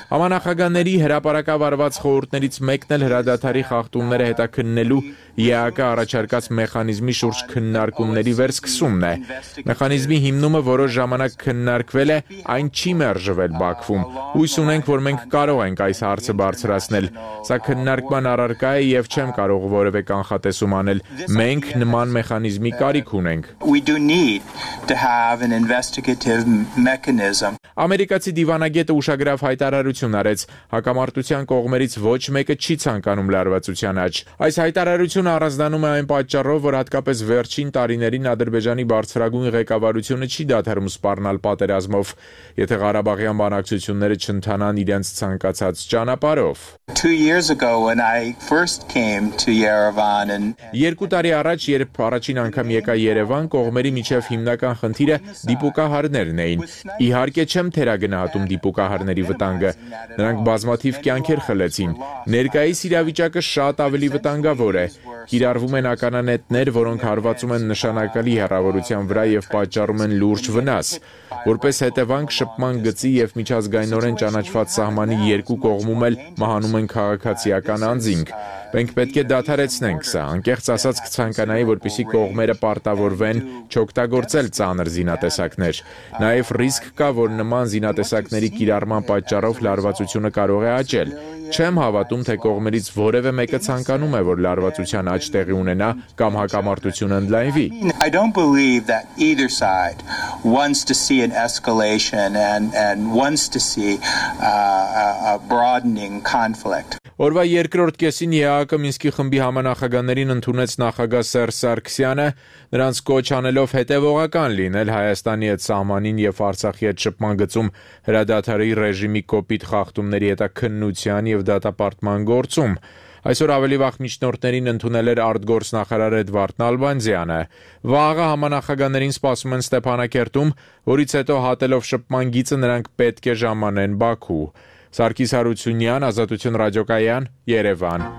Համանախագահների հրապարակավարված խորհուրդներից մեկն էլ հրադադարի խախտումները հետաքննելու ԵԱՀԿ առաջարկած մեխանիզմի շուրջ քննարկումների վերսկսումն է։ Մեխանիզմի հիմնումը որոշ ժամանակ քննարկվել է, այն չի մերժվել Բաքվում։ Հույս ունենք, որ մենք կարող ենք այս հարցը բարձրացնել։ Սա քննարկման առարկա է եւ չեմ կարող որևէ կանխատեսում անել։ Մենք նման մեխանիզմի կարիք ունենք։ Ամերիկացի դիվանագետը ուշագրավ հայտարարություն արեց. հակամարտության կողմերից ոչ մեկը չի ցանկանում լարվածության աճ։ Այս հայտարարությունը առանձնանում է այն պատճառով, որ հատկապես վերջին տարիներին Ադրբեջանի բարձրագույն ղեկավարությունը չի դադարում սպառնալ պատերազմով, եթե Ղարաբաղյան բանակցությունները չընթանան իրենց ցանկացած ճանապարհով։ 2 տարի առաջ, երբ առաջին անգամ եկա Երևան, կողմերի միջև հիմնական խնդիրը դիպուկահարներն էին։ Իհարկե չեմ թերագնահատում դիպուկահարների վտանգը։ Նրանք բազմաթիվ կյանքեր խլեցին։ Ներկայիս իրավիճակը շատ ավելի վտանգավոր է։ Կիրառվում են ականանետներ, որոնք հարվածում են նշանակալի հեռավորության վրա եւ պատճառում են լուրջ վնաս։ Որպես հետևանք շփման գծի եւ միջազգայինորեն ճանաչված սահմանի երկու կողմում էլ մահանում են քաղաքացիական անձինք։ Մենք պետք է դադարեցնենք սա, անկեղծ ասած կցանկանայի, որպեսզի կողմերը պարտավորվեն չօգտագործել ծանր զինատեսակներ։ Նաև ռիսկ կա, որ նման զինատեսակների կիրառման պատճառով լարվածությունը կարող է աճել։ Չեմ հավատում, թե կողմերից որևէ մեկը ցանկանում է, որ լարվածության աճ տեղի ունենա կամ հակամարտությունը ընդլայնվի։ I don't believe that either side wants to see an escalation and wants to see a broadening conflict. Օրվա երկրորդ կեսին ԵԱՀԿ Մինսկի խմբի համանախագահներին ընդունեց նախագահ Սերժ Սարգսյանը, նրանց կոչ անելով հետևողական լինել Հայաստանի հետ սահմանին եւ Արցախի հետ շփման գծում հրադադարի ռեժիմի կոպիտ խախտումների հետաքննության եւ դատապարտման գործում։ Այսօր ավելի վաղ միջնորդներին ընդունել էր արտգործնախարար Էդվարդ Նալբանդյանը։ Վաղը համանախագահներին սպասում են Ստեփանակերտում, որից հետո հատելով շփման գիծը նրանք պետք է ժամանեն Բաքու։ Սարգիս Հարությունյան, Ազատություն ռադիոկայան, Երևան։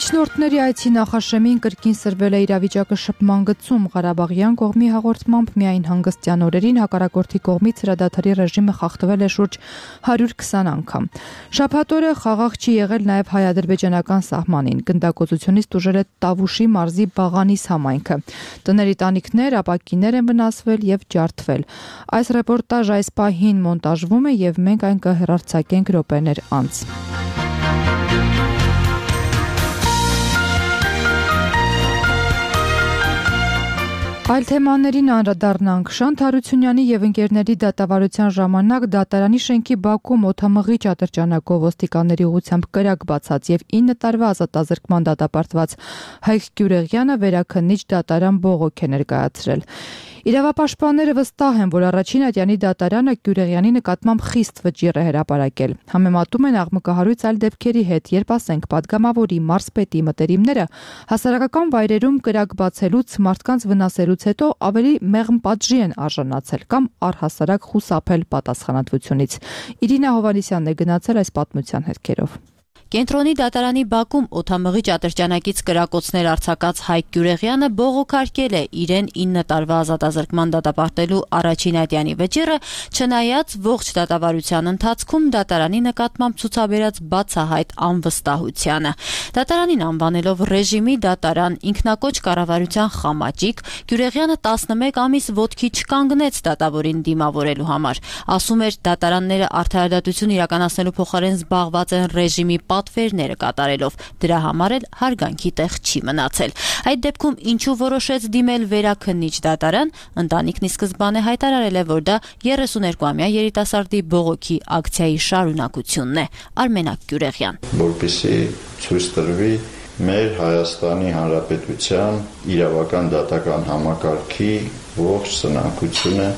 Միջնորդների այցի նախաշեմին կրկին սրվել է իրավիճակը շփման գծում։ Ղարաբաղյան կողմի հաղորդմամբ միայն հանգստյան օրերին հակառակորդի կողմից հրադադարի ռեժիմը խախտվել է շուրջ 120 անգամ։ Շաբաթ օրը խաղաղ չի եղել նաև հայ-ադրբեջանական սահմանին։ Գնդակոծությունից տուժել է Տավուշի մարզի Բաղանիս համայնքը։ Տների տանիքներ, ապակիներ են վնասվել եւ ջարդվել։ Այս ռեպորտաժ այս պահին մոնտաժվում է եւ մենք այն կհեռարձակենք րոպեներ անց։ Այլ թեմաներին անդրադառնանք։ Շանթ Հարությունյանի եւ ընկերների դատավարության ժամանակ դատարանի շենքի բակում օդամղիչ ատրճանակով ոստիկանների ուղղությամբ կրակ բացած եւ 9 տարվա ազատազրկման դատապարտված Հայկ Գյուրեղյանը վերաքննիչ դատարան բողոք է ներկայացրել։ Իրավապաշտպանները վստահ են, որ առաջին ատյանի դատարանը Գյուրեղյանի նկատմամբ խիստ վճիռ է հրապարակել։ Համեմատում են աղմկահարույց այլ դեպքերի հետ, երբ ասենք падգամավորի մարզպետի մտերիմները հասարակական վայրերում կրակ բացելուց, մարդկանց վնասելուց հետո ավելի մեղմ պատժի են արժանացել կամ առհասարակ խուսափել պատասխանատվությունից։ Իրինա Հովանեսյանն է գնացել այս պատմության հետքերով։ Կենտրոնի դատարանի բակում օդամղիչ ատրճանակից կրակոցներ արձակած Հայկ Գյուրեղյանը բողոքարկել է իրեն 9 տարվա ազատազրկման դատապարտելու առաջին ատյանի վճիռը, չնայած ողջ դատավարության ընթացքում դատարանի նկատմամբ ցուցաբերած բացահայտ անվստահությանը։ Դատարանին անվանելով ռեժիմի դատարան ինքնակոչ կառավարության խամաճիկ, Գյուրեղյանը 11 ամիս ոտքի չկանգնեց դատավորին դիմավորելու համար։ Ասում էր, դատարանները արդարադատություն իրականացնելու փոխարեն զբաղված են ռեժիմի պատվերները կատարելով, դրա համար էլ հարգանքի տեղ չի մնացել։ Այդ դեպքում ինչու որոշեց դիմել վերաքննիչ դատարան, ընտանիքն ի սկզբանե հայտարարել է, որ դա 32-ամյա երիտասարդի բողոքի ակցիայի շարունակությունն է։ Արմենակ Գյուրեղյան։ Որպեսզի ցույց տրվի մեր Հայաստանի Հանրապետության իրավական դատական համակարգի ողջ սնանկությունը։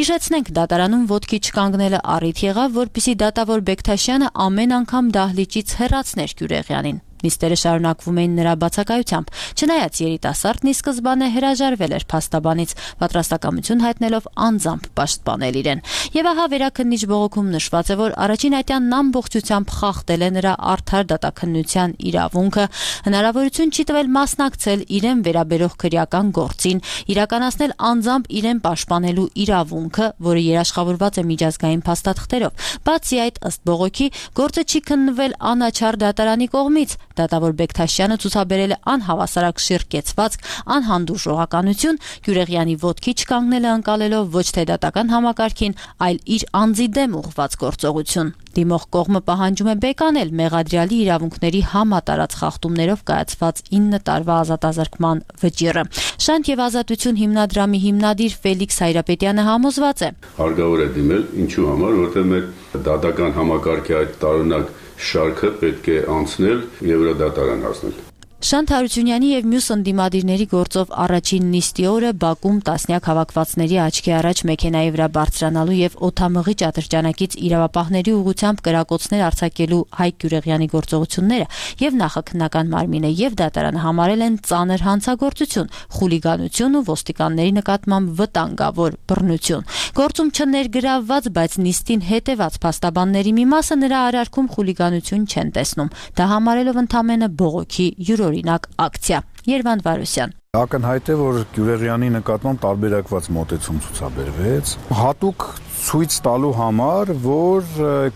Հիշեցնենք, դատարանում ոտքի չկանգնելը առիթ եղավ, որպեսզի դատավոր Բեկթաշյանը ամեն անգամ դահլիճից հեռացներ Գյուրեղյանին։ Նիստերը շարունակվում էին նրա բացակայությամբ, չնայած երիտասարդն ի սկզբանե հրաժարվել էր փաստաբանից, պատրաստակամություն հայտնելով անձամբ պաշտպանել իրեն։ Եվ ահա վերաքննիչ բողոքում նշված է, որ առաջին ատյանն ամբողջությամբ խախտել է նրա արդար դատաքննության իրավունքը, հնարավորություն չի տվել մասնակցել իրեն վերաբերող քրեական գործին, իրականացնել անձամբ իրեն պաշտպանելու իրավունքը, որը երաշխավորված է միջազգային փաստաթղթերով։ Բացի այդ, ըստ բողոքի, գործը չի քննվել անաչառ դատարանի կողմից, Դատավոր Բեկթաշյանը ցուցաբերել է անհավասարակշիռ կեցվածք, անհանդուրժողականություն, Գյուրեղյանի ոտքի չկանգնելը ընկալելով ոչ թե դատական համակարգին, այլ իր անձի դեմ ուղղված գործողություն։ Դիմող կողմը պահանջում է բեկանել մեղադրյալի իրավունքների համատարած խախտումներով կայացված 9 տարվա ազատազրկման վճիռը։ Շանթ եւ ազատություն հիմնադրամի հիմնադիր Ֆելիքս Հայրապետյանը համոզված է. Հարկավոր է դիմել, ինչու համար, որտեղ մեր դատական համակարգի այդ տարօրինակ շարքը պետք է անցնել եւ վրա դատարան հասնել։ Շանթ Հարությունյանի եւ մյուս ընդդիմադիրների գործով առաջին նիստի օրը Բաքում տասնյակ հավաքվածների աչքի առաջ մեքենայի վրա բարձրանալու եւ օդամղի ճատրճանակից իրավապահների ուղղությամբ կրակոցներ արձակելու Հայկ Գյուրեղյանի գործողությունները եւ նախաքննական մարմինը եւ դատարանը համարել են ծանր հանցագործություն, խուլիգանություն ու ոստիկանների նկատմամբ վտանգավոր բռնություն։ Գործում չներգրավված, բայց նիստին հետեված փաստաբանների մի մասը նրա արարքում խուլիգանություն չեն տեսնում։ Դա համարելով ընդամենը բողոքի յուրօրինակ ակցիա։ Երվանդ Վարուսյան Ակնհայտ է, որ Գյուրեղյանի նկատմամբ տարբերակված մոտեցում ցուցաբերվեց, հատուկ ցույց տալու համար, որ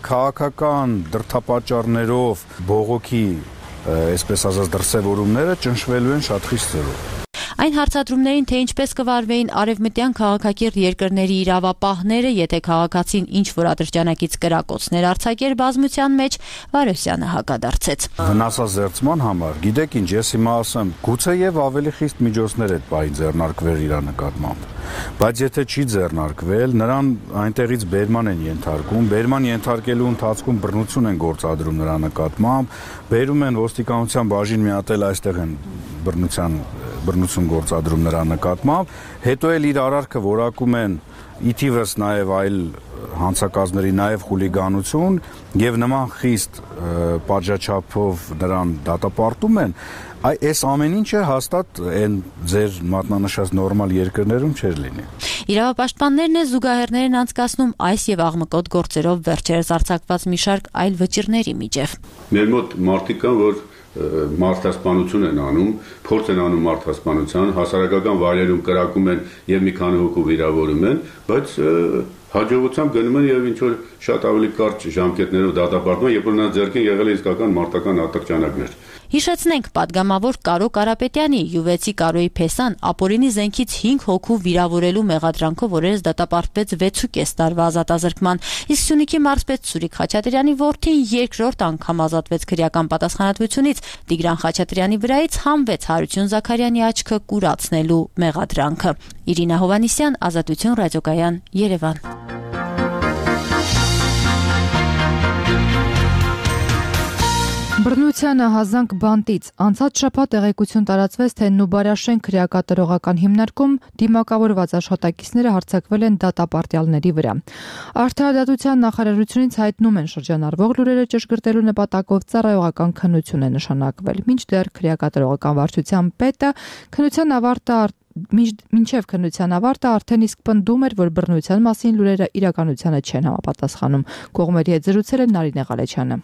քաղաքական դրդապատճառներով բողոքի, այսպես ասած, դրսևորումները ճնշվելու են շատ խիստ ձևով։ Այն հարցադրումներին, թե ինչպես կվարվեին արևմտյան քաղաքակիրթ երկրների իրավապահները, եթե քաղաքացին ինչ-որ ատրճանակից կրակոցներ արձակեր բազմության մեջ, Վարոսյանը հակադարձեց։ Վնասազերծման համար, գիտեք ինչ, ես հիմա ասեմ, գուցե եւ ավելի խիստ միջոցներ այդ բայի ձեռնարկվել իր նկատմամբ, բայց եթե չի ձեռնարկվել, նրան այնտեղից բերման են ենթարկում, բերման ենթարկելու ընթացքում բռնություն են գործադրում նրա նկատմամբ, բերում են ոստիկանության բաժին մի հատ էլ այստեղ են բռնություն գործադրում նրա նկատմամբ, հետո էլ իր արարքը որակում են իթիվս նաև այլ հանցակազմերի նաև խուլիգանություն եւ նման խիստ պատժաչափով նրան դատապարտում են, այս ամեն ինչը հաստատ այն ձեր մատնանշած նորմալ երկրներում չէր լինի։ Իրավապաշտպաններն են զուգահեռներ են անցկացնում այս եւ աղմկոտ գործերով վերջերս արձակված մի շարք այլ վճիռների միջև։ Մեր մոտ մարդիկ կան, որ մարդասպանություն են անում, փորձ են անում մարդասպանության, հասարակական վայրերում կրակում են եւ մի քանի հոգու վիրավորում են, բայց հաջողությամբ գնում են եւ ինչ որ շատ ավելի կարճ ժամկետներով դատապարտում, երբ որ նրանց ձեռքին եղել է իսկական մարտական ատրճանակներ։ Հիշեցնենք պատգամավոր Կարո Կարապետյանի յուվեցի Կարոյի Փեսան ապօրինի զենքից 5 հոգու վիրավորելու մեղադրանքով օրերս դատապարտվեց 6.5 տարվա ազատազրկման, իսկ Սյունիքի մարզպետ Սուրիկ Խաչատրյանի որդին երկրորդ անգամ ազատվեց քրեական պատասխանատվությունից, Տիգրան Խաչատրյանի վրայից հանվեց Հարություն Զաքարյանի աչքը կուրացնելու մեղադրանքը։ Իրինա Հովանիսյան, Ազատություն ռադիոկայան, Երևան։ Բռնությանը հազանգ բանտից անցած շաբաթ տեղեկություն տարածվեց, թե Նուբարաշեն քրեակատարողական հիմնարկում դիմակավորված աշխատակիցները հարձակվել են դատապարտյալների վրա։ Արդարադատության նախարարությունից հայտնում են շրջանառվող լուրերը ճշգրտելու նպատակով ծառայողական քննություն է նշանակվել։ Մինչդեռ քրեակատարողական վարչության պետը մինչև քննության ավարտը արդեն իսկ պնդում էր, որ բռնության մասին լուրերը իրականությանը չեն համապատասխանում։ Կողմերի հետ զրուցել է Նարինե Ղալեչյանը։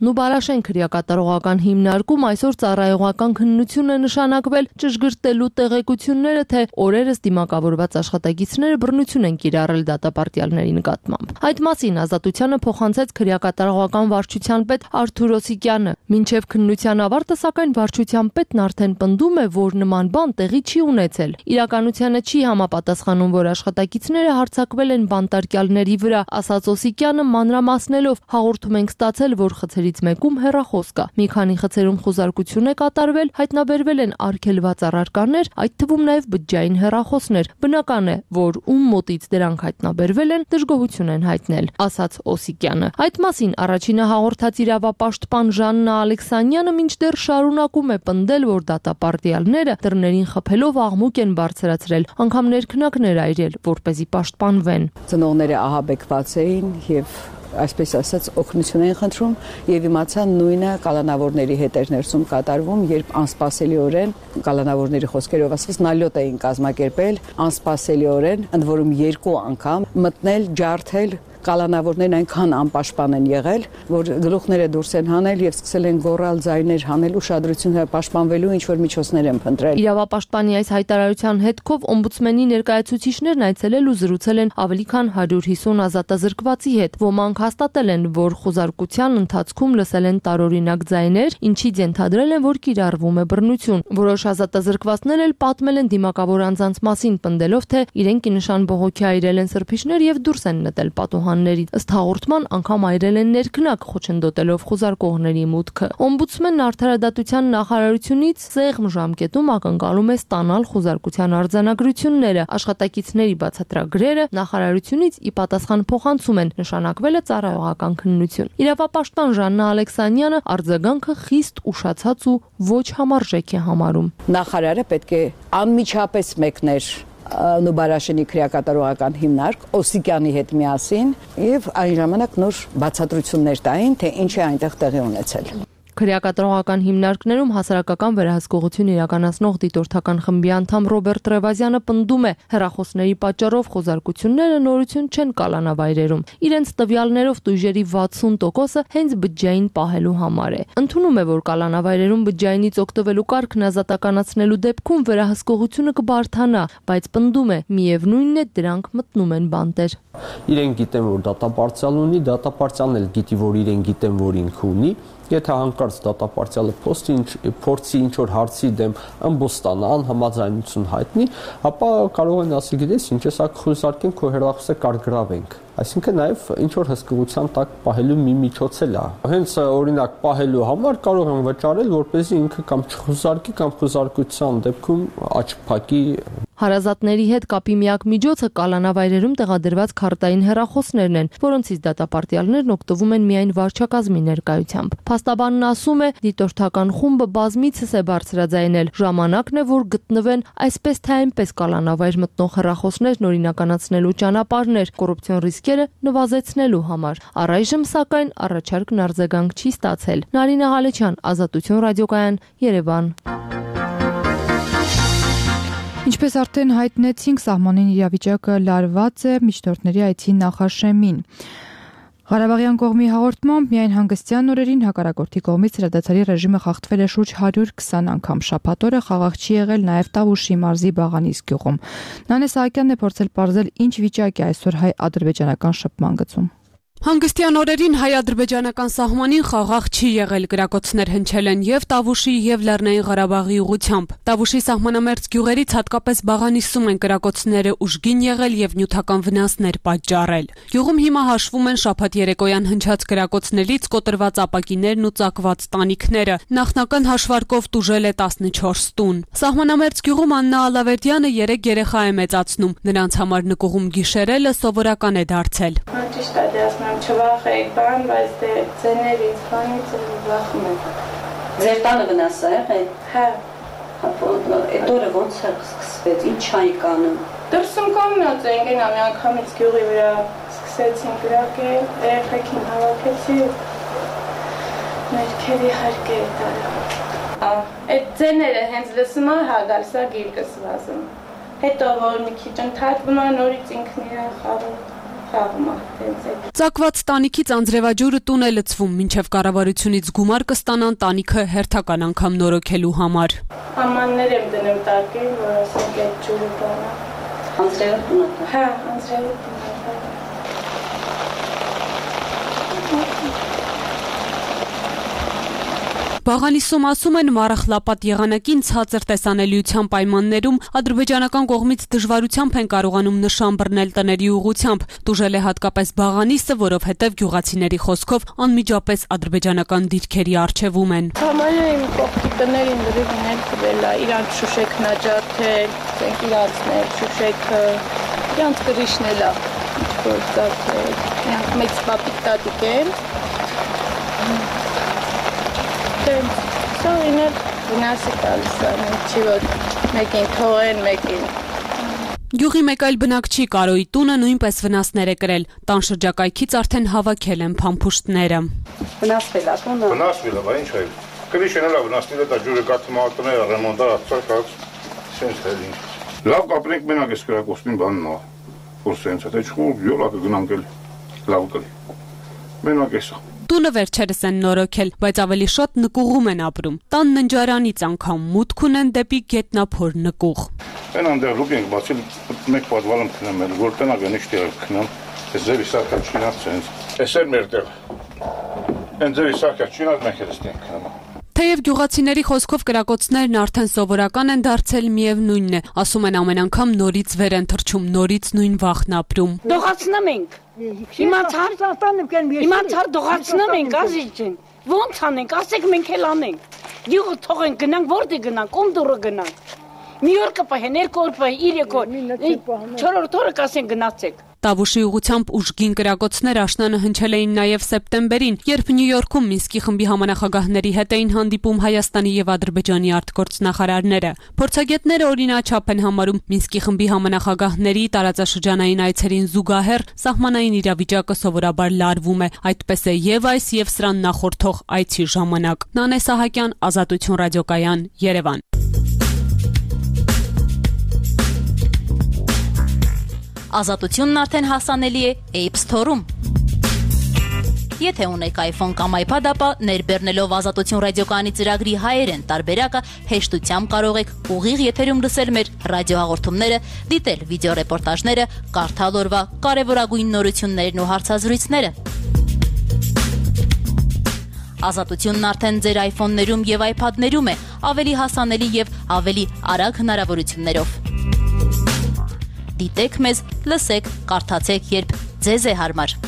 Նուբարաշեն քրեակատարողական հիմնարկում այսօր ծառայողական քննություն է նշանակվել ճշգրտելու տեղեկությունները, թե օրերս դիմակավորված աշխատակիցները բռնություն են կիրառել դատապարտյալների նկատմամբ։ Այդ մասին Ազատությանը փոխանցեց քրեակատարողական վարչության պետ Արթուր Օսիկյանը։ Մինչև քննության ավարտը, սակայն վարչության պետն արդեն պնդում է, որ նման բան տեղի չի ունեցել։ Իրականությանը չի համապատասխանում, որ աշխատակիցները հարձակվել են բանտարկյալների վրա, ասաց Օսիկյանը մանրամասնելով. հաղորդում ենք ստացել, որ խցերի մեկում հեռախոս կա։ Մի քանի խցերում խոզարկություն է կատարվել, հայտնաբերվել են արգելված առարկաներ, այդ թվում նաև բջջային հեռախոսներ։ Բնական է, որ ում մոտից դրանք հայտնաբերվել են, դժգոհություն են հայտնել, ասաց Օսիկյանը։ Այդ մասին առաջինը հաղորդած իրավապաշտպան Ժաննա Ալեքսանյանը մինչդեռ շարունակում է պնդել, որ դատապարտյալները դռներին խփելով աղմուկ են բարձրացրել, անգամ ներքնակներ այրել, որպեսզի պաշտպանվեն։ Ծնողները ահաբեկված էին եւ այսպես ասած օգնություն են խնդրում եւ իմացան նույնը կալանավորների հետ էր ներսում կատարվում, երբ անսպասելիորեն կալանավորների խոսքերով ասած նալյոտ էին կազմակերպել, անսպասելիորեն ընդ որում 2 անգամ մտնել, ջարդել կալանավորներն այնքան անպաշտպան են եղել, որ գլուխները դուրս են հանել եւ սկսել են գոռալ, ձայներ հանել, ուշադրությունը պաշտպանվելու ինչ որ միջոցներ են փնտրել։ Իրավապաշտպանի այս հայտարարության հետքով օմբուդսմենի ներկայացուցիչներն այցելել ու զրուցել են ավելի քան 150 ազատազրկվածի հետ։ Ոմանք հաստատել են, որ խոզարկության ընթացքում լսել են տարօրինակ ձայներ, ինչից ենթադրել են, որ կիրառվում է բռնություն։ Որոշ ազատազրկվածներ էլ պատմել են դիմակավոր անձանց մասին, պնդելով, թե իրենք ի նշան բողոքի այրել են սրբիչներ եւ դուրս են նետել պատուհաններից։ Ըստ հաղորդման անգամ այրել են ներքնակ, խոչընդոտելով խոզարկողների մուտքը։ Օմբուդսմենն արդարադատության նախարարությունից սեղմ ժամկետում ակնկալում է ստանալ խոզարկության արձանագրությունները։ Աշխատակիցների բացատրագրերը նախարարությունից ի պատասխան փոխանցում են, նշանակվել է ծառայողական քննություն։ Իրավապաշտպան Ժաննա Ալեքսանյանը արձագանքը խիստ ուշացած ու ոչ համարժեք է համարում։ Նախարարը պետք է անմիջապես մեկներ Նուբարաշենի քրեակատարողական հիմնարկ Օսիկյանի հետ միասին եւ այն ժամանակ նոր բացատրություններ տային, թե ինչ է այնտեղ տեղի ունեցել։ Քրեակատարողական հիմնարկներում հասարակական վերահսկողություն իրականացնող դիտորդական խմբի անդամ Ռոբերտ Ռևազյանը պնդում է, հեռախոսների պատճառով խոզարկությունները նորություն չեն կալանավայրերում։ Իրենց տվյալներով տույժերի 60%-ը հենց բջջային պահելու համար է։ Ընդունում է, որ կալանավայրերում բջջայինից օգտվելու կարգն ազատականացնելու դեպքում վերահսկողությունը կբարթանա, բայց պնդում է, միևնույնն է դրանք մտնում են բանտեր։ Իրենք գիտեն, որ դատապարտյալ ունի, դատապարտյալն էլ գիտի, որ իրեն գիտեն, որ ինքը ունի։ Եթե հանկարծ դատապարտյալը փորձի ինչ որ հարցի դեմ ըմբոս ստանա, անհամաձայնություն հայտնի, ապա կարող են ասել, գիտես, ինչ է սա խոզարկենք, քո հեռախոսը կարգրավենք։ Այսինքն նաև ինչ որ հսկողության տակ պահելու մի միջոց էլ է։ Հենց օրինակ պահելու համար կարող են վճարել, որպեսզի ինքը կամ չխոզարկի կամ խոզարկության դեպքում աչք փակի։ Հարազատների հետ կապի միակ միջոցը կալանավայրերում տեղադրված քարտային հեռախոսներն են, որոնցից դատապարտյալներն օգտվում են միայն վարչակազմի ներկայությամբ։ Փաստաբանն ասում է, դիտորդական խումբը բազմիցս է բարձրաձայնել, ժամանակն է, որ գտնվեն այսպես թե այնպես կալանավայր մտնող հեռախոսներն օրինականացնելու ճանապարհներ, կոռուպցիոն ռիսկերը նվազեցնելու համար։ Առայժմ սակայն առաջարկն արձագանք չի ստացել։ Նարինե Ղալեչյան, Ազատություն ռադիոկայան, Երևան։ Ինչպես արդեն հայտնեցինք, սահմանին իրավիճակը լարված է միջնորդների այցի նախաշեմին։ Ղարաբաղյան կողմի հաղորդմամբ միայն հանգստյան օրերին հակառակորդի կողմից հրադադարի ռեժիմը խախտվել է շուրջ 120 անգամ։ Շաբաթ օրը խաղաղ չի եղել նաև Տավուշի մարզի Բաղանիս գյուղում։ Նանե Սահակյանն է փորձել պարզել ինչ վիճակ է այսօր հայ-ադրբեջանական շփման գծում։ Հանգստյան օրերին հայ-ադրբեջանական սահմանին խաղաղ չի եղել, գրակոծներ հնչել են եւ Տավուշի եւ Լեռնային Ղարաբաղի ուղությամբ։ Տավուշի սահմանամերձ գյուղերից հատկապես Բաղանիսում են գրակոծները ուժգին եղել եւ նյութական վնասներ պատճառել։ Գյուղում հիմա հաշվում են շաբաթ երեկոյան հնչած գրակոծներից կոտրված ապակիներն ու ծակված տանիքները։ Նախնական հաշվարկով տուժել է 14 տուն։ Սահմանամերձ գյուղում Աննա Ալավերդյանը 3 երեխա է մեծացնում։ Նրանց համար նկուղում գիշերելը սովորական է դարձել։ Չվախեք բան, բայց դե ձեներից բանից վախում եք։ Ձեր տանը վնաս է եղել։ Հա։ Այդ օրը ոնց է սկսվեց, ինչ այի կանում։ Դրսում կանգնած էինք, այն ամենքամից գյուղի վրա սկսեցին գրակել, երեխեքին հավաքեցի, ներքևի հարկեր տարա։ Այդ ձեները հենց լսում է, հա գալիս է գիրկս վազում։ Հետո որ մի քիչ ընդհատվում է, նորից ինքն իրան խաղում։ Ծակված տանիքից անձրևաջուրը տուն է լցվում, մինչև կառավարությունից գումար կստանան տանիքը հերթական անգամ նորոգելու համար։ Ամաններ եմ դնում տակին, որ ասենք այդ ջուրը բանա։ Անձրևը տուն է։ Հա, անձրևը տուն է։ Բաղանիսում ասում են մառախլապատ եղանակին ցածր տեսանելիության պայմաններում ադրբեջանական կողմից դժվարությամբ են կարողանում նշան բռնել տների ուղղությամբ։ Տուժել է հատկապես Բաղանիսը, որովհետև գյուղացիների խոսքով անմիջապես ադրբեջանական դիրքերի առջևում են։ Համարյա իմ կողքի տներին լրիվ տվել է, իրանց շուշեք նաջարդել, ցենք իրանցներ շուշեքը, իրանց կրիշն էլ է գործակել, իրանք մեծ պապիկ տատիկ են։ Սա իներ վնասի տալիս է, չի որ մեկին թողեն, մեկին։ Գյուղի մեկ այլ բնակչի Կարոյի տունը նույնպես վնասներ է կրել։ Տան շրջակայքից արդեն հավաքել են փամփուշտները։ Վնասվել է տունը։ Վնասվել է, բա ինչ է։ Կրիշն էլ է վնասվել է, դա ջուրը կաթմատները ռեմոնտը ացած, սենց էլ ինչ։ Լավ կապրենք մենակ էս գրակոստին բանն է, որ սենց է, թե չխու յոլա կգնանք էլ։ լավ կլի։ Մենակ էսա։ Տունը վերջերս են նորոգել, բայց ավելի շատ նկուղում են ապրում։ Տան ննջարանից անգամ մուտք ունեն դեպի գետնափոր նկուղ։ Այնանդեղ լուկ ենք բացել, մեկ պատվալում քնեմ էլ, որ տնակ են իշտեղ քնեմ, ես ձևի սարքա չինած ցենց։ Էս էր մեր տեղ։ Այն ձևի սարքա չինած մենք էլ ստենք քնեմ։ Թեև գյուղացիների խոսքով կրակոցներն արդեն սովորական են դարձել, միևնույնն է, ասում են ամեն անգամ նորից վեր են թռչում, նորից նույն վախն ապրում։ Դողացնում ենք։ Իմացար դողացնում ենք, ազիջին։ Ոնց անենք, ասեք մենք էլ անենք։ Գյուղը թողենք, գնանք, որտե գնանք, ում դուրը գնանք։ Մի օր կպահեն, երկու օր պահեն, 3 օր, 4 օրը կասեն գնացեք։ Տավուշի ուղղությամբ ուժգին կրակոցներ աշնանը հնչել էին նաև սեպտեմբերին, երբ Նյու Յորքում Մինսկի խմբի համանախագահների հետ էին հանդիպում Հայաստանի եւ Ադրբեջանի արտգործնախարարները։ Փորձագետները օրինաչափ են համարում Մինսկի խմբի համանախագահների տարածաշրջանային այցերին զուգահեռ սահմանային իրավիճակը սովորաբար լարվում է, այդպես է եւ այս եւ սրան նախորդող այցի ժամանակ։ Նանե Սահակյան, Ազատություն ռադիոկայան, Երևան։ Ազատությունն արդեն հասանելի է App Store-ում։ Եթե ունեք iPhone կամ iPad, ապա ներբեռնելով Ազատություն ռադիոկայանի ծրագրի հայերեն տարբերակը հեշտությամբ կարող եք ուղիղ եթերում լսել մեր ռադիոհաղորդումները, դիտել վիդեոռեպորտաժները, կարդալ օրվա կարևորագույն նորություններն ու հարցազրույցները։ Ազատությունն արդեն ձեր iPhone-ներում եւ iPad-ներում է, ավելի հասանելի եւ ավելի արագ հնարավորություններով։ Դիտեք մեզ, լսեք, կարդացեք, երբ ձեզ է հարմար։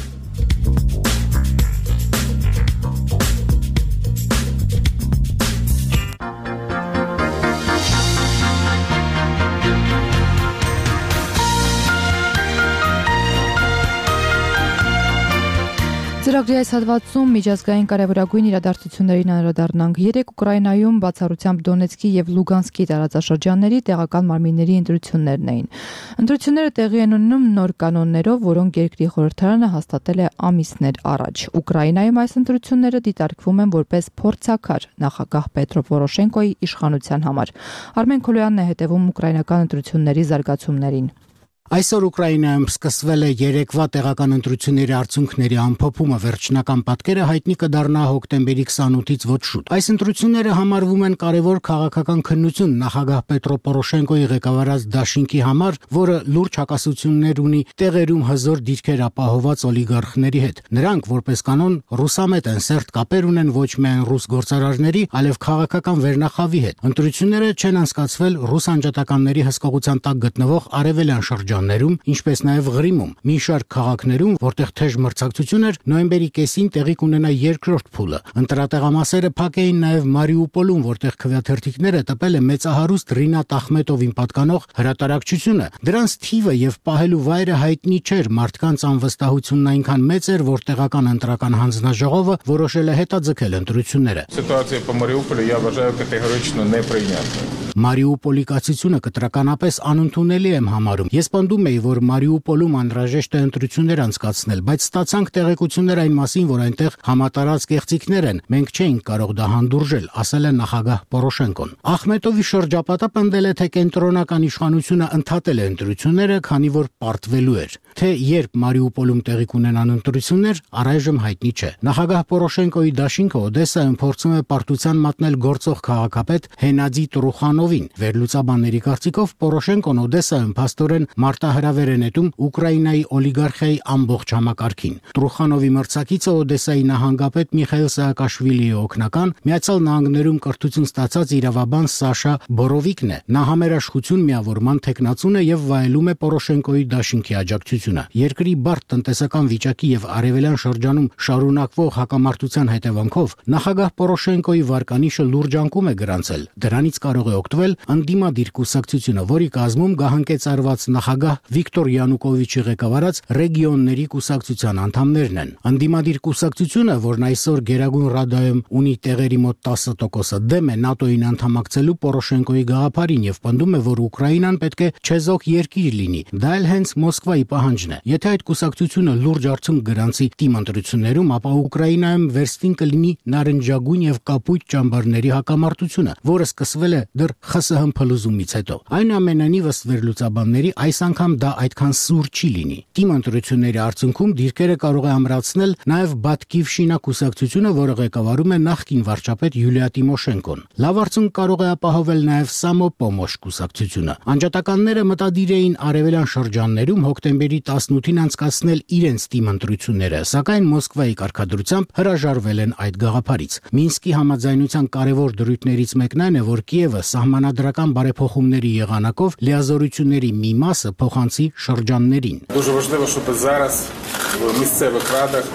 Ծրագրի այս հատվածում միջազգային կարևորագույն իրադարձություններին անդրադառնանք։ Երեկ Ուկրաինայում բացառությամբ Դոնեցկի եւ Լուգանսկի տարածաշրջանների տեղական մարմինների ընտրություններն էին։ Ընտրությունները տեղի են ունենում նոր կանոններով, որոնք երկրի խորհրդարանը հաստատել է ամիսներ առաջ։ Ուկրաինայում այս ընտրությունները դիտարկվում են որպես փորձաքար նախագահ Պետրո Պորոշենկոյի իշխանության համար։ Արմեն Քոլոյանն է հետևում ուկրաինական ընտրությունների զարգացումներին։ Այսօր Ուկրաինայում սկսվել է երեկվա տեղական ընտրությունների արդյունքների ամփոփումը, վերջնական պատկերը հայտնի կդառնա հոկտեմբերի 28-ից ոչ շուտ։ Այս ընտրությունները համարվում են կարևոր քաղաքական քննություն նախագահ Պետրո Պորոշենկոյի ղեկավարած դաշինքի համար, որը լուրջ հակասություններ ունի տեղերում հզոր դիրքեր ապահոված օլիգարխների հետ։ Նրանք, որպես կանոն, ռուսամետ են, սերտ կապեր ունեն ոչ միայն ռուս գործարարների, այլև քաղաքական վերնախավի հետ։ Ընտրությունները չեն անցկացվել ռուս անջատականների հսկողության տակ գտնվող արևելյան շրջաններում, ինչպես նաև Ղրիմում։ Մի շարք քաղաքներում, որտեղ թեժ մրցակցություն էր, նոյեմբերի կեսին տեղի կունենա երկրորդ փուլը։ Ընտրատեղամասերը փակ էին նաև Մարիուպոլում, որտեղ քվեաթերթիկները տպել է մեծահարուստ Ռինատ Ախմետովին պատկանող հրատարակչությունը։ Դրանց թիվը եւ պահելու վայրը հայտնի չէր, մարդկանց անվստահությունն այնքան մեծ էր, որ տեղական ընտրական հանձնաժողովը որոշել է հետաձգել ընտրությունները։ Ситуация по Мариуполю я вважаю категорично неприйнятною. Մարիուպոլի կացությունը կտրականապես անընդունելի եմ համարում։ Ես պնդում էի, որ Մարիուպոլում անհրաժեշտ է ընտրություններ անցկացնել, բայց ստացանք տեղեկություններ այն մասին, որ այնտեղ համատարած կեղծիքներ են։ Մենք չէինք կարող դա հանդուրժել, ասել է նախագահ Պորոշենկոն։ Ախմետովի շրջապատը պնդել է, թե կենտրոնական իշխանությունը ընդհատել է ընտրությունները, քանի որ պարտվելու էր։ Թե երբ Մարիուպոլում տեղի կունենան ընտրություններ, առայժմ հայտնի չէ։ Նախագահ Պորոշենկոյի դաշինքը Օդեսայում փորձում է պարտության մատնել գործող քաղաքապետ Հենադի Տրուխանովին։ Վերլուծաբանների կարծիքով Պորոշենկոն Օդեսայում փաստորեն մարտահրավեր է նետում Ուկրաինայի օլիգարխիայի ամբողջ համակարգին։ Տրուխանովի մրցակիցը Օդեսայի նահանգապետ Միխայիլ Սաակաշվիլիի օգնական Միացյալ Նահանգներում կրթություն ստացած իրավաբան Սաշա Բորովիկն է։ Նա համերաշխություն միավորման թեկնածուն է եւ վայելում է Պորոշենկոյի դաշինքի աջակցությունը։ Երկրի բարդ տնտեսական վիճակի եւ արևելյան շրջանում շարունակվող հակամարտության հետևանքով նախագահ Պորոշենկոյի վարկանիշը լուրջ անկում է գրանցել։ Դրանից կարող է օգտվել ընդդիմադիր կուսակցությունը, որի կազմում գահանկեցարված նախագահ Վիկտոր Յանուկովիչի ղեկավարած ռեգիոնների կուսակցության անդամներն են։ Ընդդիմադիր կուսակցությունը, որն այսօր Գերագույն Ռադայում ունի տեղերի մոտ 10% դեմ է ՆԱՏՕ-ին անդամակցելու Պորոշենկոյի գաղափարին եւ պնդում է, որ Ուկրաինան պետք է չեզոք երկիր լինի։ Դա էլ հենց Մոսկվայի պահանջը պահանջն է։ Եթե այդ կուսակցությունը լուրջ արդյունք գրանցի թիմ ընտրություններում, ապա Ուկրաինայում վերստին կլինի նարնջագույն եւ կապույտ ճամբարների հակամարտությունը, որը սկսվել է դեռ ԽՍՀՄ փլուզումից հետո։ Այնուամենայնիվ, ըստ վերլուծաբանների, այս անգամ դա այդքան սուր չի լինի։ Թիմ ընտրությունների արդյունքում դիրքերը կարող է ամրացնել նաեւ Բատկիվշինա կուսակցությունը, որը ղեկավարում է նախկին վարչապետ Յուլիա Տիմոշենկոն։ Լավ արդյունք կարող է ապահովել նաեւ Սամոպոմոշ կուսակցությունը։ Անջատականները մտադիր էին արևելյան շրջաններում հոկտեմբերի 18-ին անցկացնել իրենց թիմ ընտրությունները, սակայն Մոսկվայի կարգադրությամբ հրաժարվել են այդ գաղափարից։ Մինսկի համաձայնության կարևոր դրույթներից մեկն այն է, որ Կիևը սահմանադրական բարեփոխումների եղանակով լիազորությունների մի մասը փոխանցի շրջաններին։ Дуже важливо, щоб зараз в місцевих радах